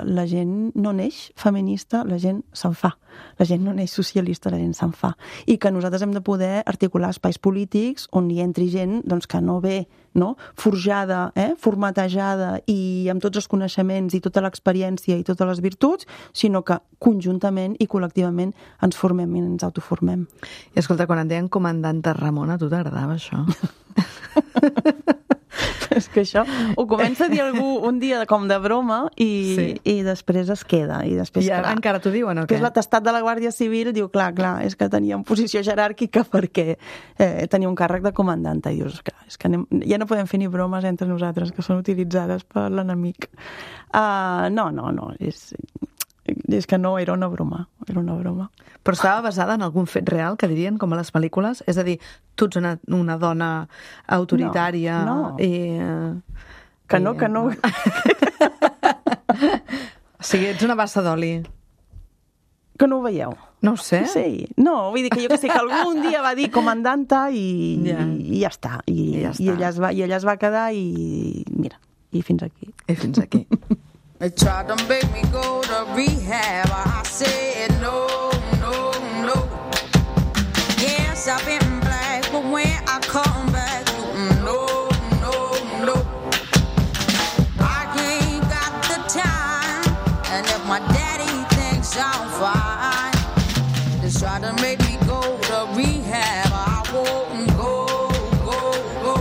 la gent no neix feminista, la gent se'n fa. La gent no neix socialista, la gent se'n fa. I que nosaltres hem de poder articular espais polítics on hi entri gent doncs, que no ve, no?, forjada, eh? formatejada i amb tots els coneixements i tota l'experiència i totes les virtuts, sinó que conjuntament i col·lectivament ens formem i ens autoformem. I escolta, quan et deien comandanta Ramona, a tu t'agradava això? És que això ho comença a dir algú un dia com de broma i, sí. i després es queda. I, després, I ara clar, encara t'ho diuen o què? Després l'atestat de la Guàrdia Civil diu, clar, clar, és que tenia una posició jeràrquica perquè eh, tenia un càrrec de comandanta. I dius, clar, és que anem, ja no podem fer ni bromes entre nosaltres que són utilitzades per l'enemic. Uh, no, no, no, és... és que no, era una broma, era una broma. Però estava basada en algun fet real, que dirien, com a les pel·lícules? És a dir, tu ets una, una dona autoritària... No, no. I, que no, i, que no. O sigui, ets una bassa d'oli. Que no ho veieu? No ho sé. Sí, no, vull dir que jo que sé, que algun dia va dir comandanta i, yeah. i, i ja està. I, I, ja està. I, ella es va, I ella es va quedar i mira, i fins aquí. I fins aquí. They tried to make me go to rehab. I said no, no, no. Yes, I've been black, but when I come back, no, no, no. I ain't got the time, and if my daddy thinks I'm fine, they try to make me go to rehab. I won't go, go, go.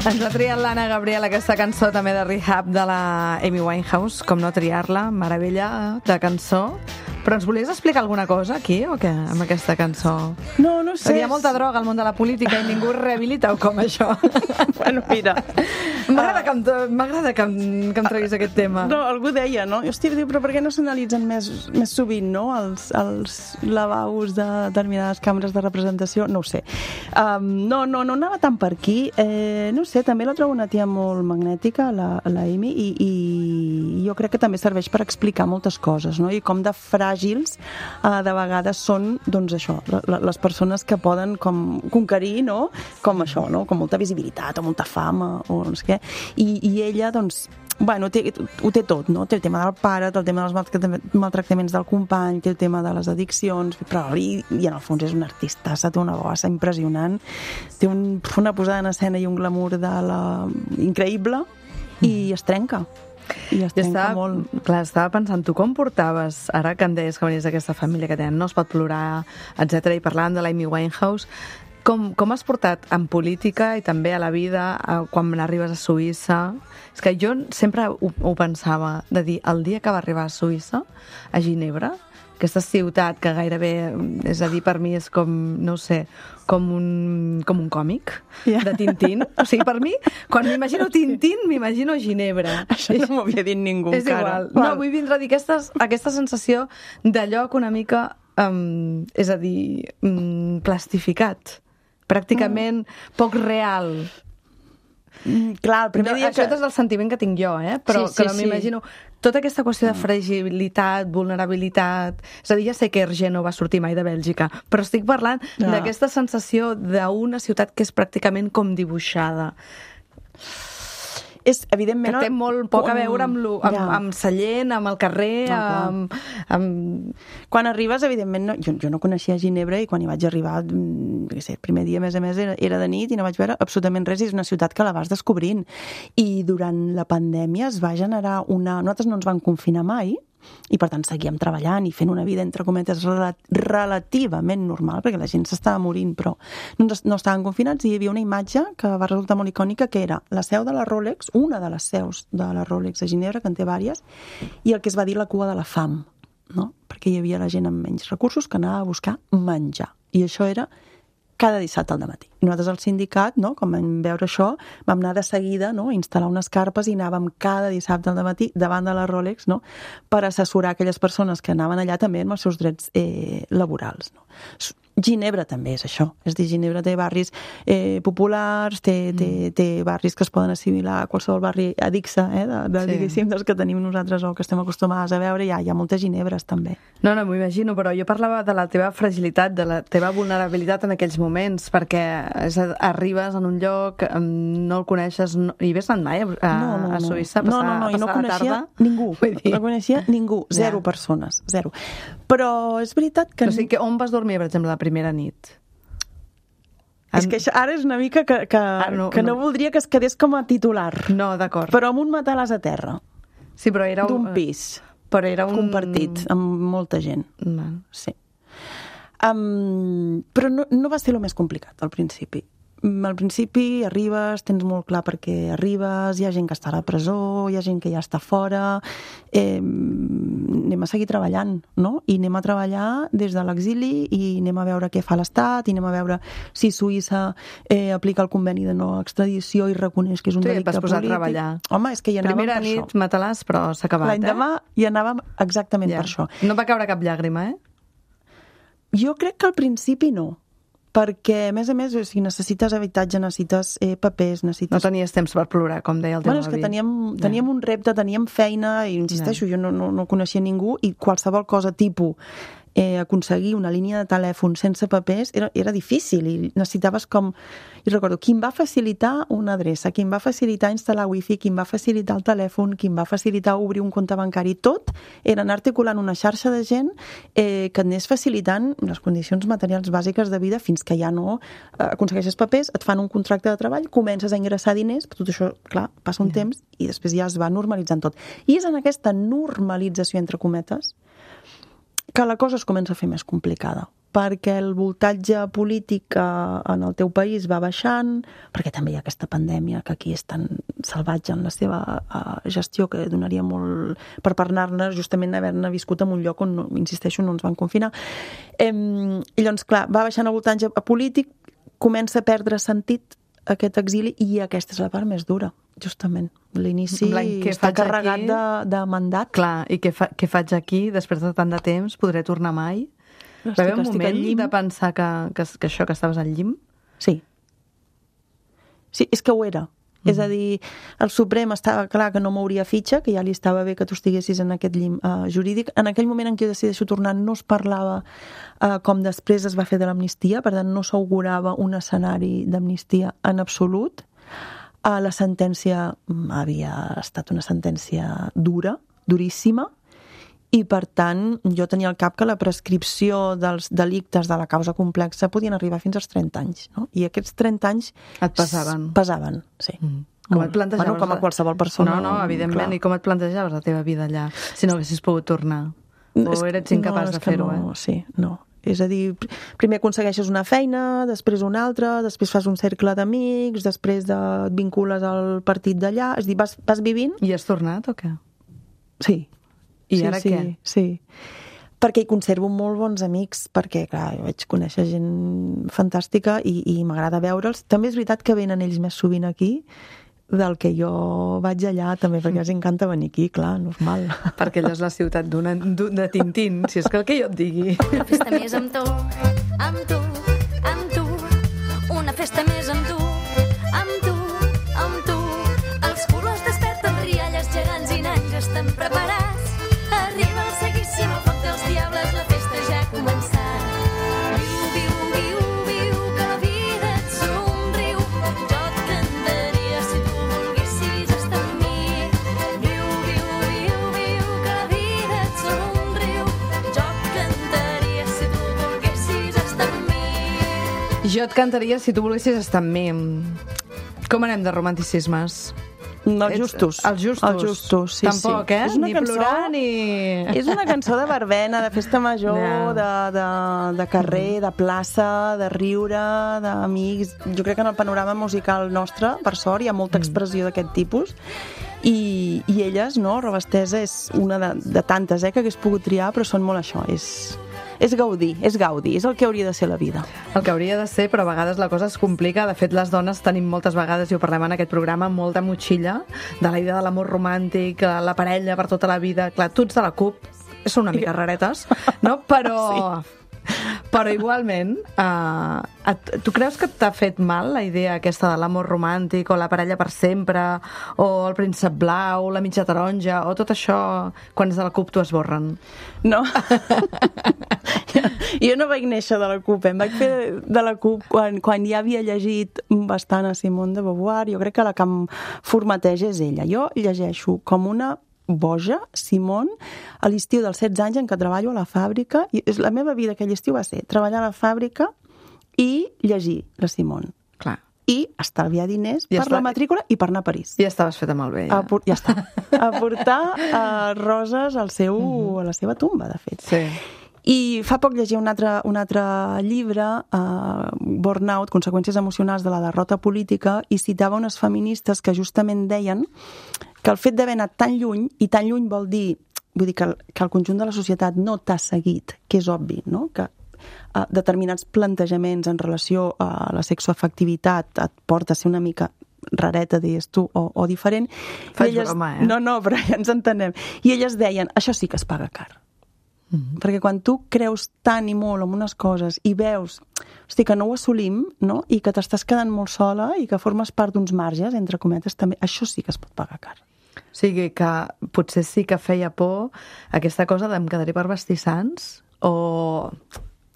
Ens ha triat l'Anna Gabriel aquesta cançó també de Rehab de la Amy Winehouse, com no triar-la, meravella de cançó. Però ens volies explicar alguna cosa aquí o què, amb aquesta cançó? No, no sé. Hi ha molta droga al món de la política i ningú rehabilita o com això? Bueno, mira. M'agrada que, em, m'agrada que, em, que em treguis aquest tema. No, algú deia, no? Hòstia, diu, però per què no s'analitzen més, més sovint, no?, els, els lavabos de determinades càmeres de representació? No ho sé. Um, no, no, no anava tant per aquí. Eh, no sé, també la trobo una tia molt magnètica, la, la Amy, i, i jo crec que també serveix per explicar moltes coses, no? I com de fràgil fràgils, eh, de vegades són, doncs això, la, la, les persones que poden com conquerir, no?, com això, no?, com molta visibilitat o molta fama o no sé què, i, i ella, doncs, bueno, té, ho té tot, no? Té el tema del pare, té el tema dels maltractaments del company, té el tema de les addiccions, però i, i en el fons és una artistassa, té una bossa impressionant, té un, una posada en escena i un glamour de la... increïble, i es trenca. I es trenca estava, molt. Clar, estava pensant, tu com portaves, ara que em deies que venies d'aquesta família que tenen, no es pot plorar, etcètera, i parlàvem de l'Amy Winehouse, Com, com has portat en política i també a la vida a, quan arribes a Suïssa? És que jo sempre ho, ho pensava, de dir, el dia que va arribar a Suïssa, a Ginebra, aquesta ciutat que gairebé, és a dir, per mi és com, no ho sé, com un, com un còmic yeah. de Tintín. O sigui, per mi, quan m'imagino Tintín, m'imagino Ginebra. Això no m'ho havia dit ningú és encara. igual. No, vull vindre a dir aquestes, aquesta sensació de lloc una mica, um, és a dir, um, plastificat. Pràcticament mm. poc real. Mm, clar, el primer no, dia això que... és el sentiment que tinc jo, eh? Però sí, sí, que m'imagino tota aquesta qüestió de fragilitat, vulnerabilitat... És a dir, ja sé que Hergé no va sortir mai de Bèlgica, però estic parlant no. d'aquesta sensació d'una ciutat que és pràcticament com dibuixada. És, evidentment... Que té molt poc a veure amb, lo, amb, ja. amb Sallent, amb el carrer, no, amb, amb... Quan arribes, evidentment, no, jo, jo no coneixia Ginebra i quan hi vaig arribar, no sé, el primer dia, a més a més, era, era de nit i no vaig veure absolutament res, és una ciutat que la vas descobrint. I durant la pandèmia es va generar una... Nosaltres no ens van confinar mai, i per tant seguíem treballant i fent una vida entre cometes relativament normal, perquè la gent s'estava morint però no, no estaven confinats, i hi havia una imatge que va resultar molt icònica, que era la seu de la Rolex, una de les seus de la Rolex a Ginebra, que en té vàries, i el que es va dir la cua de la fam, no? Perquè hi havia la gent amb menys recursos que anava a buscar menjar, i això era cada dissabte al dematí. I nosaltres al sindicat, no, com vam veure això, vam anar de seguida, no, a instal·lar unes carpes i anàvem cada dissabte al dematí davant de la Rolex, no, per assessorar aquelles persones que anaven allà també amb els seus drets eh, laborals. No. Ginebra també és això. És dir, Ginebra té barris eh, populars, té, té, té barris que es poden assimilar a qualsevol barri addixa, eh, de, de, sí. diguéssim, dels que tenim nosaltres o que estem acostumades a veure. Hi ha, hi ha moltes Ginebres, també. No, no, m'ho imagino, però jo parlava de la teva fragilitat, de la teva vulnerabilitat en aquells moments, perquè és, arribes en un lloc, no el coneixes, no, hi havies anat mai a, a, no, no, a Suïssa a passar, no, no, no, a passar no coneixia la tarda? Ningú. No coneixia ningú, zero ja. persones, zero. Però és veritat que... O sigui, que on vas dormir, per exemple, la primera nit? És que això ara és una mica que, que, ah, no, que no, no voldria que es quedés com a titular. No, d'acord. Però amb un matalàs a terra. Sí, però era d'un pis. Però era un... compartit amb molta gent. No. Sí. Um, però no, no va ser el més complicat al principi. Al principi arribes, tens molt clar perquè arribes, hi ha gent que està a la presó, hi ha gent que ja està fora, eh, anem a seguir treballant, no? I anem a treballar des de l'exili i anem a veure què fa l'Estat, i anem a veure si Suïssa eh, aplica el conveni de no extradició i reconeix que és un tu delicte polític. Tu ja et vas posar a treballar. Home, és que hi anàvem Primera per nit, això. matalàs, però s'ha acabat, L'any eh? demà hi anàvem exactament ja. per això. No va caure cap llàgrima, eh? Jo crec que al principi no. Perquè, a més a més, o sigui, necessites habitatge, necessites eh, papers, necessites... No tenies temps per plorar, com deia el teu bueno, avi. És que teníem, teníem ja. un repte, teníem feina, i insisteixo, ja. jo no, no, no coneixia ningú, i qualsevol cosa tipus eh, aconseguir una línia de telèfon sense papers era, era difícil, i necessitaves com... I recordo, qui em va facilitar una adreça, qui em va facilitar instal·lar wifi, qui em va facilitar el telèfon, qui em va facilitar obrir un compte bancari, tot era anar articulant una xarxa de gent eh, que et anés facilitant les condicions materials bàsiques de vida fins que ja no eh, aconsegueixes papers, et fan un contracte de treball, comences a ingressar diners, però tot això, clar, passa un yeah. temps i després ja es va normalitzant tot. I és en aquesta normalització, entre cometes, que la cosa es comença a fer més complicada, perquè el voltatge polític en el teu país va baixant, perquè també hi ha aquesta pandèmia que aquí és tan salvatge en la seva uh, gestió que donaria molt per parlar-ne, justament haver-ne viscut en un lloc on, insisteixo, no ens van confinar. Eh, I llavors, clar, va baixant el voltatge polític, comença a perdre sentit aquest exili, i aquesta és la part més dura, justament. L'inici està carregat de, de mandat. Clar, i què, fa, què faig aquí després de tant de temps? Podré tornar mai? Va haver un moment de pensar que, que, que això, que estaves al llim? Sí. Sí, és que ho era. Mm. És a dir, el Suprem estava clar que no mouria fitxa, que ja li estava bé que tu estiguessis en aquest llim uh, jurídic. En aquell moment en què jo decideixo tornar no es parlava uh, com després es va fer de l'amnistia, per tant no s'augurava un escenari d'amnistia en absolut. Uh, la sentència havia estat una sentència dura, duríssima, i per tant jo tenia al cap que la prescripció dels delictes de la causa complexa podien arribar fins als trenta anys, no? I aquests trenta anys et pesaven. Pesaven, sí. Mm. Com et plantejaves? Bueno, com a qualsevol persona. No, no, evidentment. Clar. I com et plantejaves la teva vida allà, si no haguessis pogut tornar? O és, eres incapaç no, de fer-ho, no, eh? Sí, no. És a dir, primer aconsegueixes una feina, després una altra, després fas un cercle d'amics, després de, et vincules al partit d'allà, és a dir, vas, vas vivint... I has tornat o què? Sí. I sí, ara sí, què? Sí, perquè hi conservo molt bons amics, perquè, clar, jo vaig conèixer gent fantàstica i, i m'agrada veure'ls. També és veritat que venen ells més sovint aquí del que jo vaig allà, també, perquè els encanta venir aquí, clar, normal. Perquè allà és la ciutat d'una, de Tintín, si és que el que jo et digui. Una festa més amb tu, amb tu, amb tu. Una festa més amb tu, amb tu, amb tu. Els colors desperten rialles gegants i nans estan preparats. Arriba el seguíssim, el foc dels diables, la festa ja ha començat. Viu, viu, viu, viu, que la vida et somriu. Jo et cantaria si tu volguessis estar amb mi. Viu, viu, viu, viu, que la vida et somriu. Jo et cantaria si tu volguessis estar amb mi. Jo et cantaria si tu volguessis estar amb mi. Com anem de romanticismes? No, els justos. Els justos. Els justos, sí, Tampoc, sí. eh? És una Ni cançó, plorar, ni... És una cançó de verbena, de festa major, Ja. de, de, de carrer, de plaça, de riure, d'amics. Jo crec que en el panorama musical nostre, per sort, hi ha molta expressió d'aquest tipus. I, i elles, no? Robestesa és una de, de tantes, eh, que hagués pogut triar, però són molt això, és... És gaudir, és gaudi, és el que hauria de ser la vida. El que hauria de ser, però a vegades la cosa es complica. De fet, les dones tenim moltes vegades, i ho parlem en aquest programa, molta motxilla de la idea de l'amor romàntic, la parella per tota la vida. Clar, tu ets de la CUP, són una mica raretes, no? Però... Sí. Però igualment, uh, et, tu creus que t'ha fet mal la idea aquesta de l'amor romàntic o la parella per sempre o el príncep blau, la mitja taronja o tot això, quan és de la CUP t'ho esborren? No. Jo no vaig néixer de la CUP, em vaig fer de la CUP quan, quan ja havia llegit bastant a Simone de Beauvoir. Jo crec que la que em formateja és ella. Jo llegeixo com una boja, Simone, a l'estiu dels setze anys en què treballo a la fàbrica. I la meva vida aquell estiu va ser treballar a la fàbrica i llegir la Simone. Clar. I estalviar diners I per està... la matrícula i per anar a París. Ja estaves feta malbé. Ja, a por... ja està. A portar uh, roses al seu, uh-huh. a la seva tumba, de fet. Sí. I fa poc llegia un altre, un altre llibre, uh, Burnout, conseqüències emocionals de la derrota política, i citava unes feministes que justament deien que el fet d'haver anat tan lluny, i tan lluny vol dir, vull dir que el, que el conjunt de la societat no t'ha seguit, que és obvi, no? Que uh, determinats plantejaments en relació a la sexoafectivitat et porta a ser una mica rareta, deies tu, o, o diferent. Faig elles... broma, eh? No, no, però ja ens entenem. I elles deien, això sí que es paga car. Mm-hmm. Perquè quan tu creus tant i molt en unes coses i veus, hosti, que no ho assolim, no? I que t'estàs quedant molt sola i que formes part d'uns marges, entre cometes, també, això sí que es pot pagar car. O sigui que potser sí que feia por aquesta cosa de em quedaré per vestir sants, o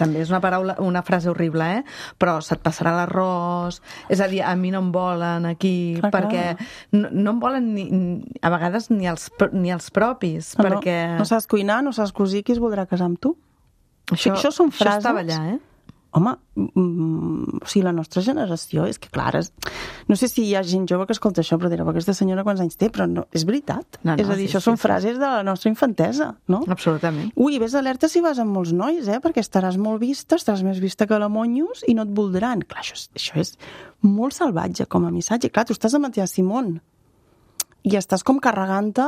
també és una paraula, una frase horrible, eh? Però se't passarà l'arròs, és a dir, a mi no em volen aquí, clar, perquè clar. No, no em volen ni, a vegades ni els, ni els propis, no, perquè... No saps cuinar, no saps cosir, qui es voldrà casar amb tu? Això, això són frases... Això estava allà, eh? Home, mm, o sigui, la nostra generació és que, clar, és... no sé si hi ha gent jove que escolta això, però dirà, aquesta senyora quants anys té? Però no, és veritat. No, no, és a dir, sí, això sí, són sí. frases de la nostra infantesa, no? Absolutament. Ui, ves alerta si vas amb molts nois, eh? Perquè estaràs molt vista, estaràs més vista que la Monyos i no et voldran. Clar, això és, això és molt salvatge com a missatge. Clar, tu estàs amb la teva Simone i estàs com carregant-te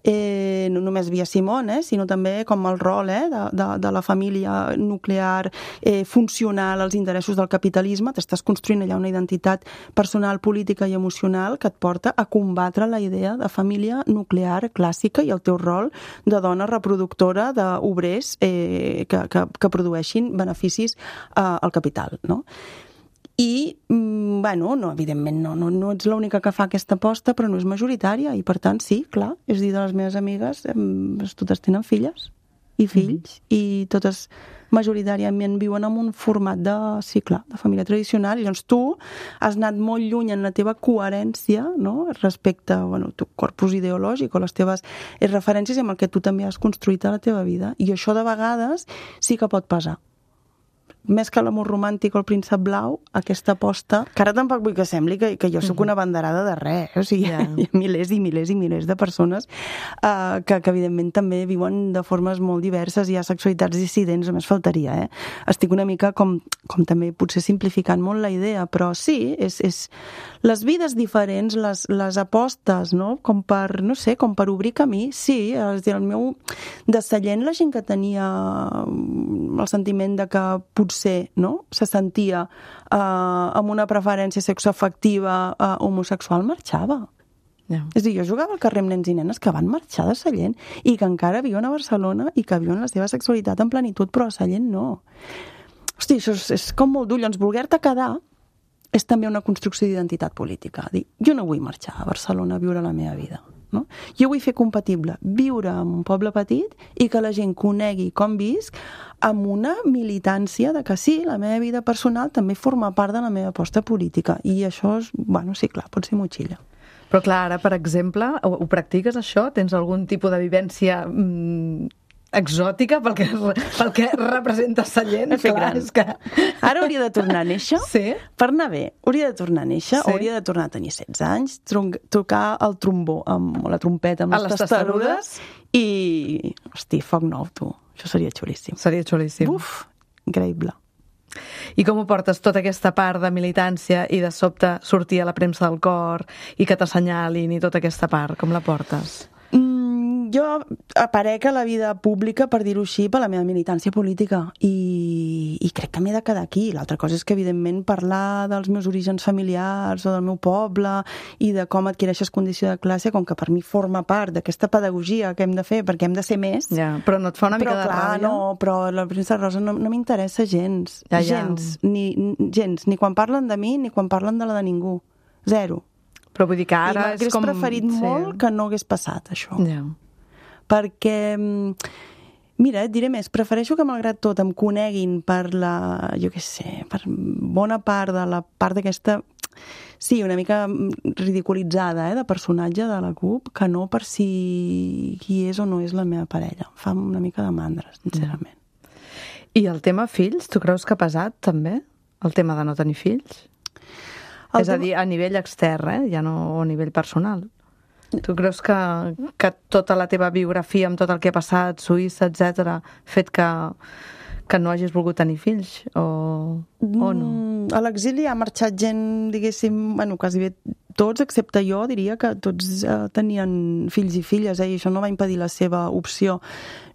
eh, no només via Simone, eh, sinó també com el rol eh, de, de, de la família nuclear eh, funcional als interessos del capitalisme. T'estàs construint allà una identitat personal, política i emocional que et porta a combatre la idea de família nuclear clàssica i el teu rol de dona reproductora d'obrers eh, que, que, que produeixin beneficis eh, al capital, no? I, mm, bueno, no, evidentment no, no, no ets l'única que fa aquesta aposta, però no és majoritària, i per tant, sí, clar, és dir, de les meves amigues, em, totes tenen filles i fills, mm-hmm. i totes majoritàriament viuen en un format de, sí, clar, de família tradicional, i llavors tu has anat molt lluny en la teva coherència, no?, respecte, bueno, tu corpus ideològic o les teves referències amb el que tu també has construït a la teva vida, i això de vegades sí que pot pesar. Més que l'amor romàntic o el príncep blau, aquesta aposta, que ara tampoc vull que sembli que, que jo sóc una banderada de res, eh? O sigui, yeah. hi ha milers i milers i milers de persones uh, que, que evidentment també viuen de formes molt diverses, hi ha sexualitats dissidents, només faltaria, eh? Estic una mica com, com també potser simplificant molt la idea, però sí, és, és les vides diferents, les, les apostes, no?, com per, no sé, com per obrir camí, sí, és dir, el meu descellent, la gent que tenia el sentiment de que potser, no?, se sentia eh, amb una preferència sexoafectiva eh, homosexual, marxava. Yeah. És a dir, jo jugava al carrer amb nens i nenes que van marxar de Sallent i que encara viuen a Barcelona i que viuen la seva sexualitat en plenitud, però a Sallent no. Hosti, això és, és com molt dur. Llavors, voler-te quedar és també una construcció d'identitat política. Dir, jo no vull marxar a Barcelona a viure la meva vida. No? Jo vull fer compatible viure en un poble petit i que la gent conegui com visc amb una militància de que sí, la meva vida personal també forma part de la meva aposta política, i això és, bueno, sí, clar, pot ser motxilla. Però clar, ara, per exemple, ho, ho practiques això? Tens algun tipus de vivència mmm, exòtica pel que, pel que representa Sallent? Clar, és que... Ara hauria de tornar a néixer, sí? Per anar bé, hauria de tornar a néixer, sí? Hauria de tornar a tenir setze anys, tocar el trombó, amb, o la trompeta amb a les testarudes, i, hosti, foc nou, tu. Això seria xulíssim. Seria xulíssim. Uf, increïble. I com ho portes, tota aquesta part de militància i de sobte sortir a la premsa del cor i que t'assenyalin i tota aquesta part, com la portes? Jo aparec a la vida pública, per dir-ho així, per la meva militància política, i, i crec que m'he de quedar aquí. L'altra cosa és que, evidentment, parlar dels meus orígens familiars o del meu poble i de com adquireixes condició de classe, com que per mi forma part d'aquesta pedagogia que hem de fer, perquè hem de ser més. Ja, però no et fa una mica però, de clar, ràbia? No, però la princesa Rosa no, no m'interessa gens. Ja, ja. Gens, ni, gens, ni quan parlen de mi ni quan parlen de la de ningú. Zero. Però vull dir que ara I és com... m'hagués preferit sí. molt que no hagués passat, això. Ja. Perquè, mira, et diré més, prefereixo que malgrat tot em coneguin per la, jo què sé, per bona part de la part d'aquesta, sí, una mica ridiculitzada, eh, de personatge de la C U P, que no per si qui és o no és la meva parella. Em fa una mica de mandra, sincerament. I el tema fills, tu creus que ha pesat, també? El tema de no tenir fills? El és tema... a dir, a nivell extern, eh? Ja no a nivell personal. Tu creus que, que tota la teva biografia amb tot el que ha passat, Suïssa, etcètera, fet que, que no hagis volgut tenir fills o, o no? A l'exili ha marxat gent, diguéssim, bueno, quasi bé tots, excepte jo, diria que tots eh, tenien fills i filles, eh, i això no va impedir la seva opció.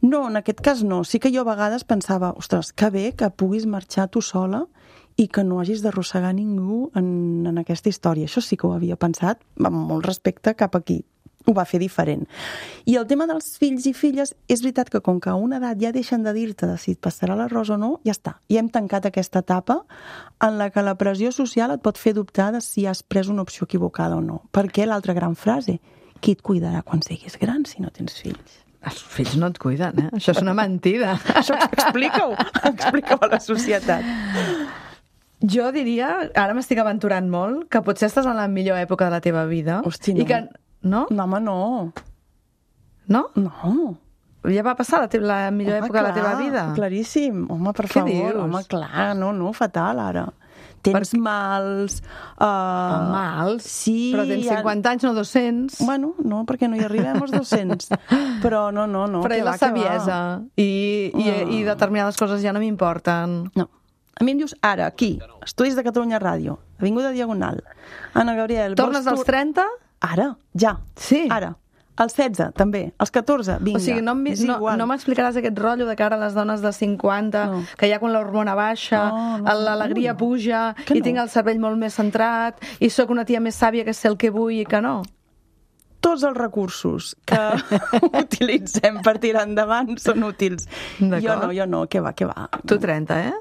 No, en aquest cas no. Sí que jo a vegades pensava, ostres, que bé que puguis marxar tu sola i que no hagis d'arrossegar ningú en, en aquesta història. Això sí que ho havia pensat, amb molt respecte cap aquí. Ho va fer diferent. I el tema dels fills i filles, és veritat que com que a una edat ja deixen de dir-te si et passarà l'arròs o no, ja està. Ja hem tancat aquesta etapa en la que la pressió social et pot fer dubtar de si has pres una opció equivocada o no. Perquè l'altra gran frase, qui et cuidarà quan siguis gran si no tens fills? Els fills no et cuiden, eh? Això és una mentida. Això explica-ho, explica-ho a la societat. Jo diria, ara m'estic aventurant molt, que potser estàs en la millor època de la teva vida. Hosti, no. I que... No? No, home, no. No? No. Ja va passar la, te la millor home, època clar, de la teva vida? Claríssim. Home, per Què favor. dius? Home, clar, no, no, fatal, ara. Tens per... mals... Uh... Oh, mals? Sí. Però tens cinquanta anys, no dos-cents. Bueno, no, perquè no hi arribem als dos-cents. Però no, no, no. Però i la saviesa. I, i, uh... I determinades coses ja no m'importen. No. A mi em dius, ara, aquí, Estudis de Catalunya Ràdio, Avinguda Diagonal, Anna Gabriel... Tornes als trenta? Ara, ja. Sí. Ara. Als setze, també. Als catorze, vinga. O sigui, no, no, no m'explicaràs aquest rotllo de cara a les dones de cinquanta, no. Que ja quan l'hormona baixa, no, no, l'alegria no, no. puja, que i no. tinc el cervell molt més centrat, i sóc una tia més sàvia que sé el que vull i que no. Tots els recursos que utilitzem per tirar endavant són útils. Jo no, jo no, què va, què va. Tu trenta, eh?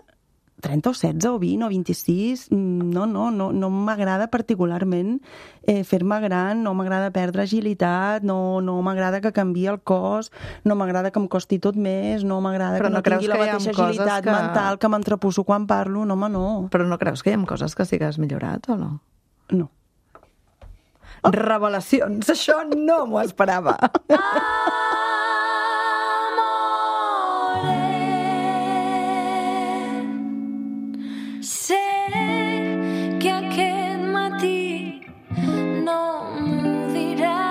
trenta o setze o vint o vint-i-sis, no, no, no, no m'agrada particularment eh, fer-me gran, no m'agrada perdre agilitat, no, no m'agrada que canviï el cos, no m'agrada que em costi tot més, no m'agrada Però que no, no creus tingui la que hi ha mateixa coses agilitat que- mental que m'entrepusso quan parlo, no, home, no. Però no creus que hi ha coses que sí que has millorat o no? No. Oh. Revelacions, això no m'ho esperava. Sé que aquest matí no m'ho diràs.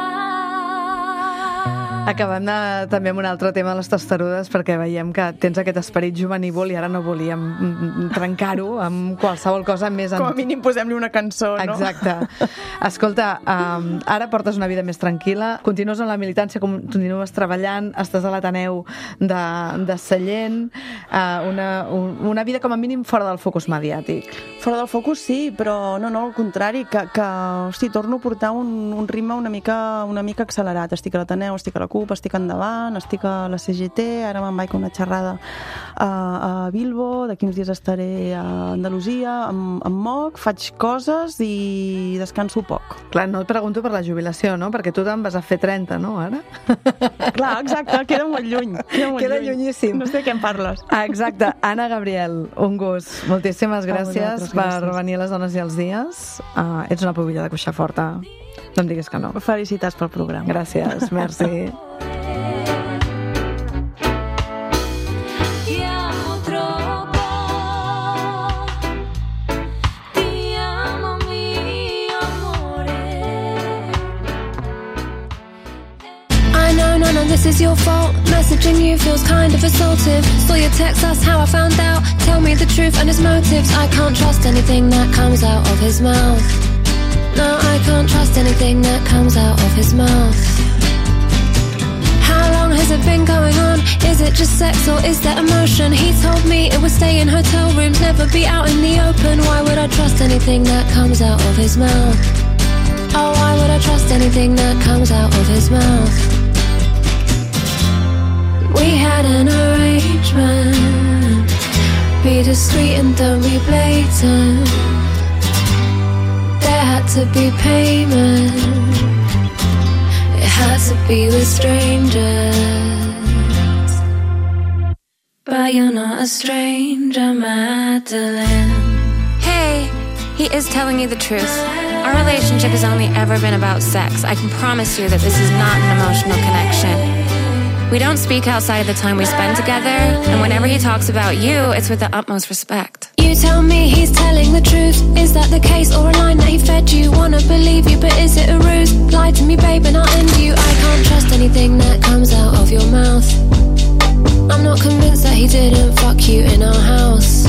Acabem de, també amb un altre tema de les testarudes, perquè veiem que tens aquest esperit juvenívol i ara no volíem mm, trencar-ho amb qualsevol cosa més... Com a mínim posem-li una cançó, no? Exacte. Escolta, um, ara portes una vida més tranquil·la, continues amb la militància, continues treballant, estàs a l'Ateneu de, de Sallent, uh, una, un, una vida com a mínim fora del focus mediàtic. Fora del focus sí, però no, no, al contrari, que, que hosti, torno a portar un, un ritme una mica, una mica accelerat. Estic a l'Ateneu, estic a la CUP, estic endavant, estic a la C G T, ara me'n vaig a una xerrada a, a Bilbo, d'aquí uns dies estaré a Andalusia, em, em moc, faig coses i descanso poc. Clar, no et pregunto per la jubilació, no? Perquè tu te'n vas a fer trenta, no, ara? Clar, exacte, queda molt lluny. Queda, molt Queda lluny. llunyíssim. No sé de què em parles. Ah, exacte. Anna Gabriel, un gust. Moltíssimes A gràcies vosaltres, per gràcies. venir a Les Dones i els Dies. Uh, ets una pubilla de cuixa forta. No em diguis que no. Felicitats pel programa. Gràcies, merci. Ti amo troppo, ti amo mio amore. I know none of this is your fault. Messaging you feels kind of assaultive. Saw your text, that's how I found out. Tell me the truth and his motives. I can't trust anything that comes out of his mouth. No, I can't trust anything that comes out of his mouth. How long has it been going on? Is it just sex or is there emotion? He told me it would stay in hotel rooms, never be out in the open. Why would I trust anything that comes out of his mouth? Oh, why would I trust anything that comes out of his mouth? We had an arrangement. Be discreet and don't be blatant. There had to be payment. It had to be with strangers. But you're not a stranger, Madeline. Hey, he is telling you the truth. Our relationship has only ever been about sex. I can promise you that this is not an emotional connection. We don't speak outside of the time we spend together, and whenever he talks about you, it's with the utmost respect. You tell me he's telling the truth. Is that the case or a line that he fed you? Wanna believe you, but is it a ruse? Lie to me, babe, and I'll end you. I can't trust anything that comes out of your mouth. I'm not convinced that he didn't fuck you in our house.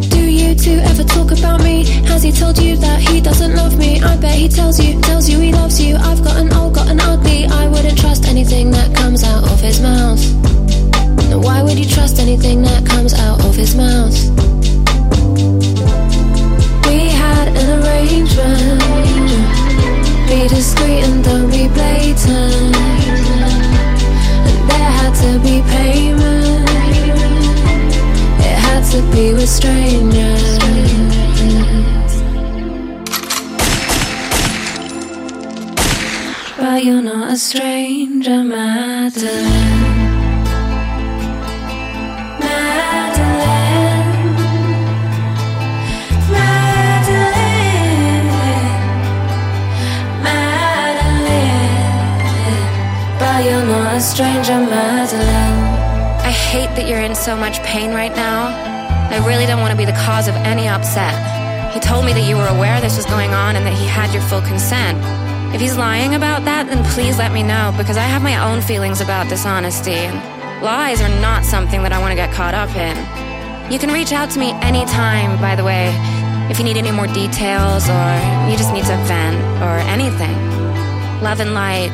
Do you two ever talk about me? Has he told you that he doesn't love me? I bet he tells you, tells you he loves you. I've gotten old, gotten ugly. I wouldn't trust anything that comes out of his mouth. No, why would you trust anything that comes out of his mouth? We had an arrangement. Be discreet and don't be blatant. And there had to be payment. It had to be with strangers. But you're not a stranger, Madeline. Madeline, Madeline, Madeline. But you're not a stranger, Madeline. I hate that you're in so much pain right now. I really don't want to be the cause of any upset. He told me that you were aware this was going on and that he had your full consent. If he's lying about that, then please let me know, because I have my own feelings about dishonesty, and lies are not something that I want to get caught up in. You can reach out to me anytime, by the way, if you need any more details or you just need to vent or anything. Love and light,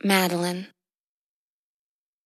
Madeline.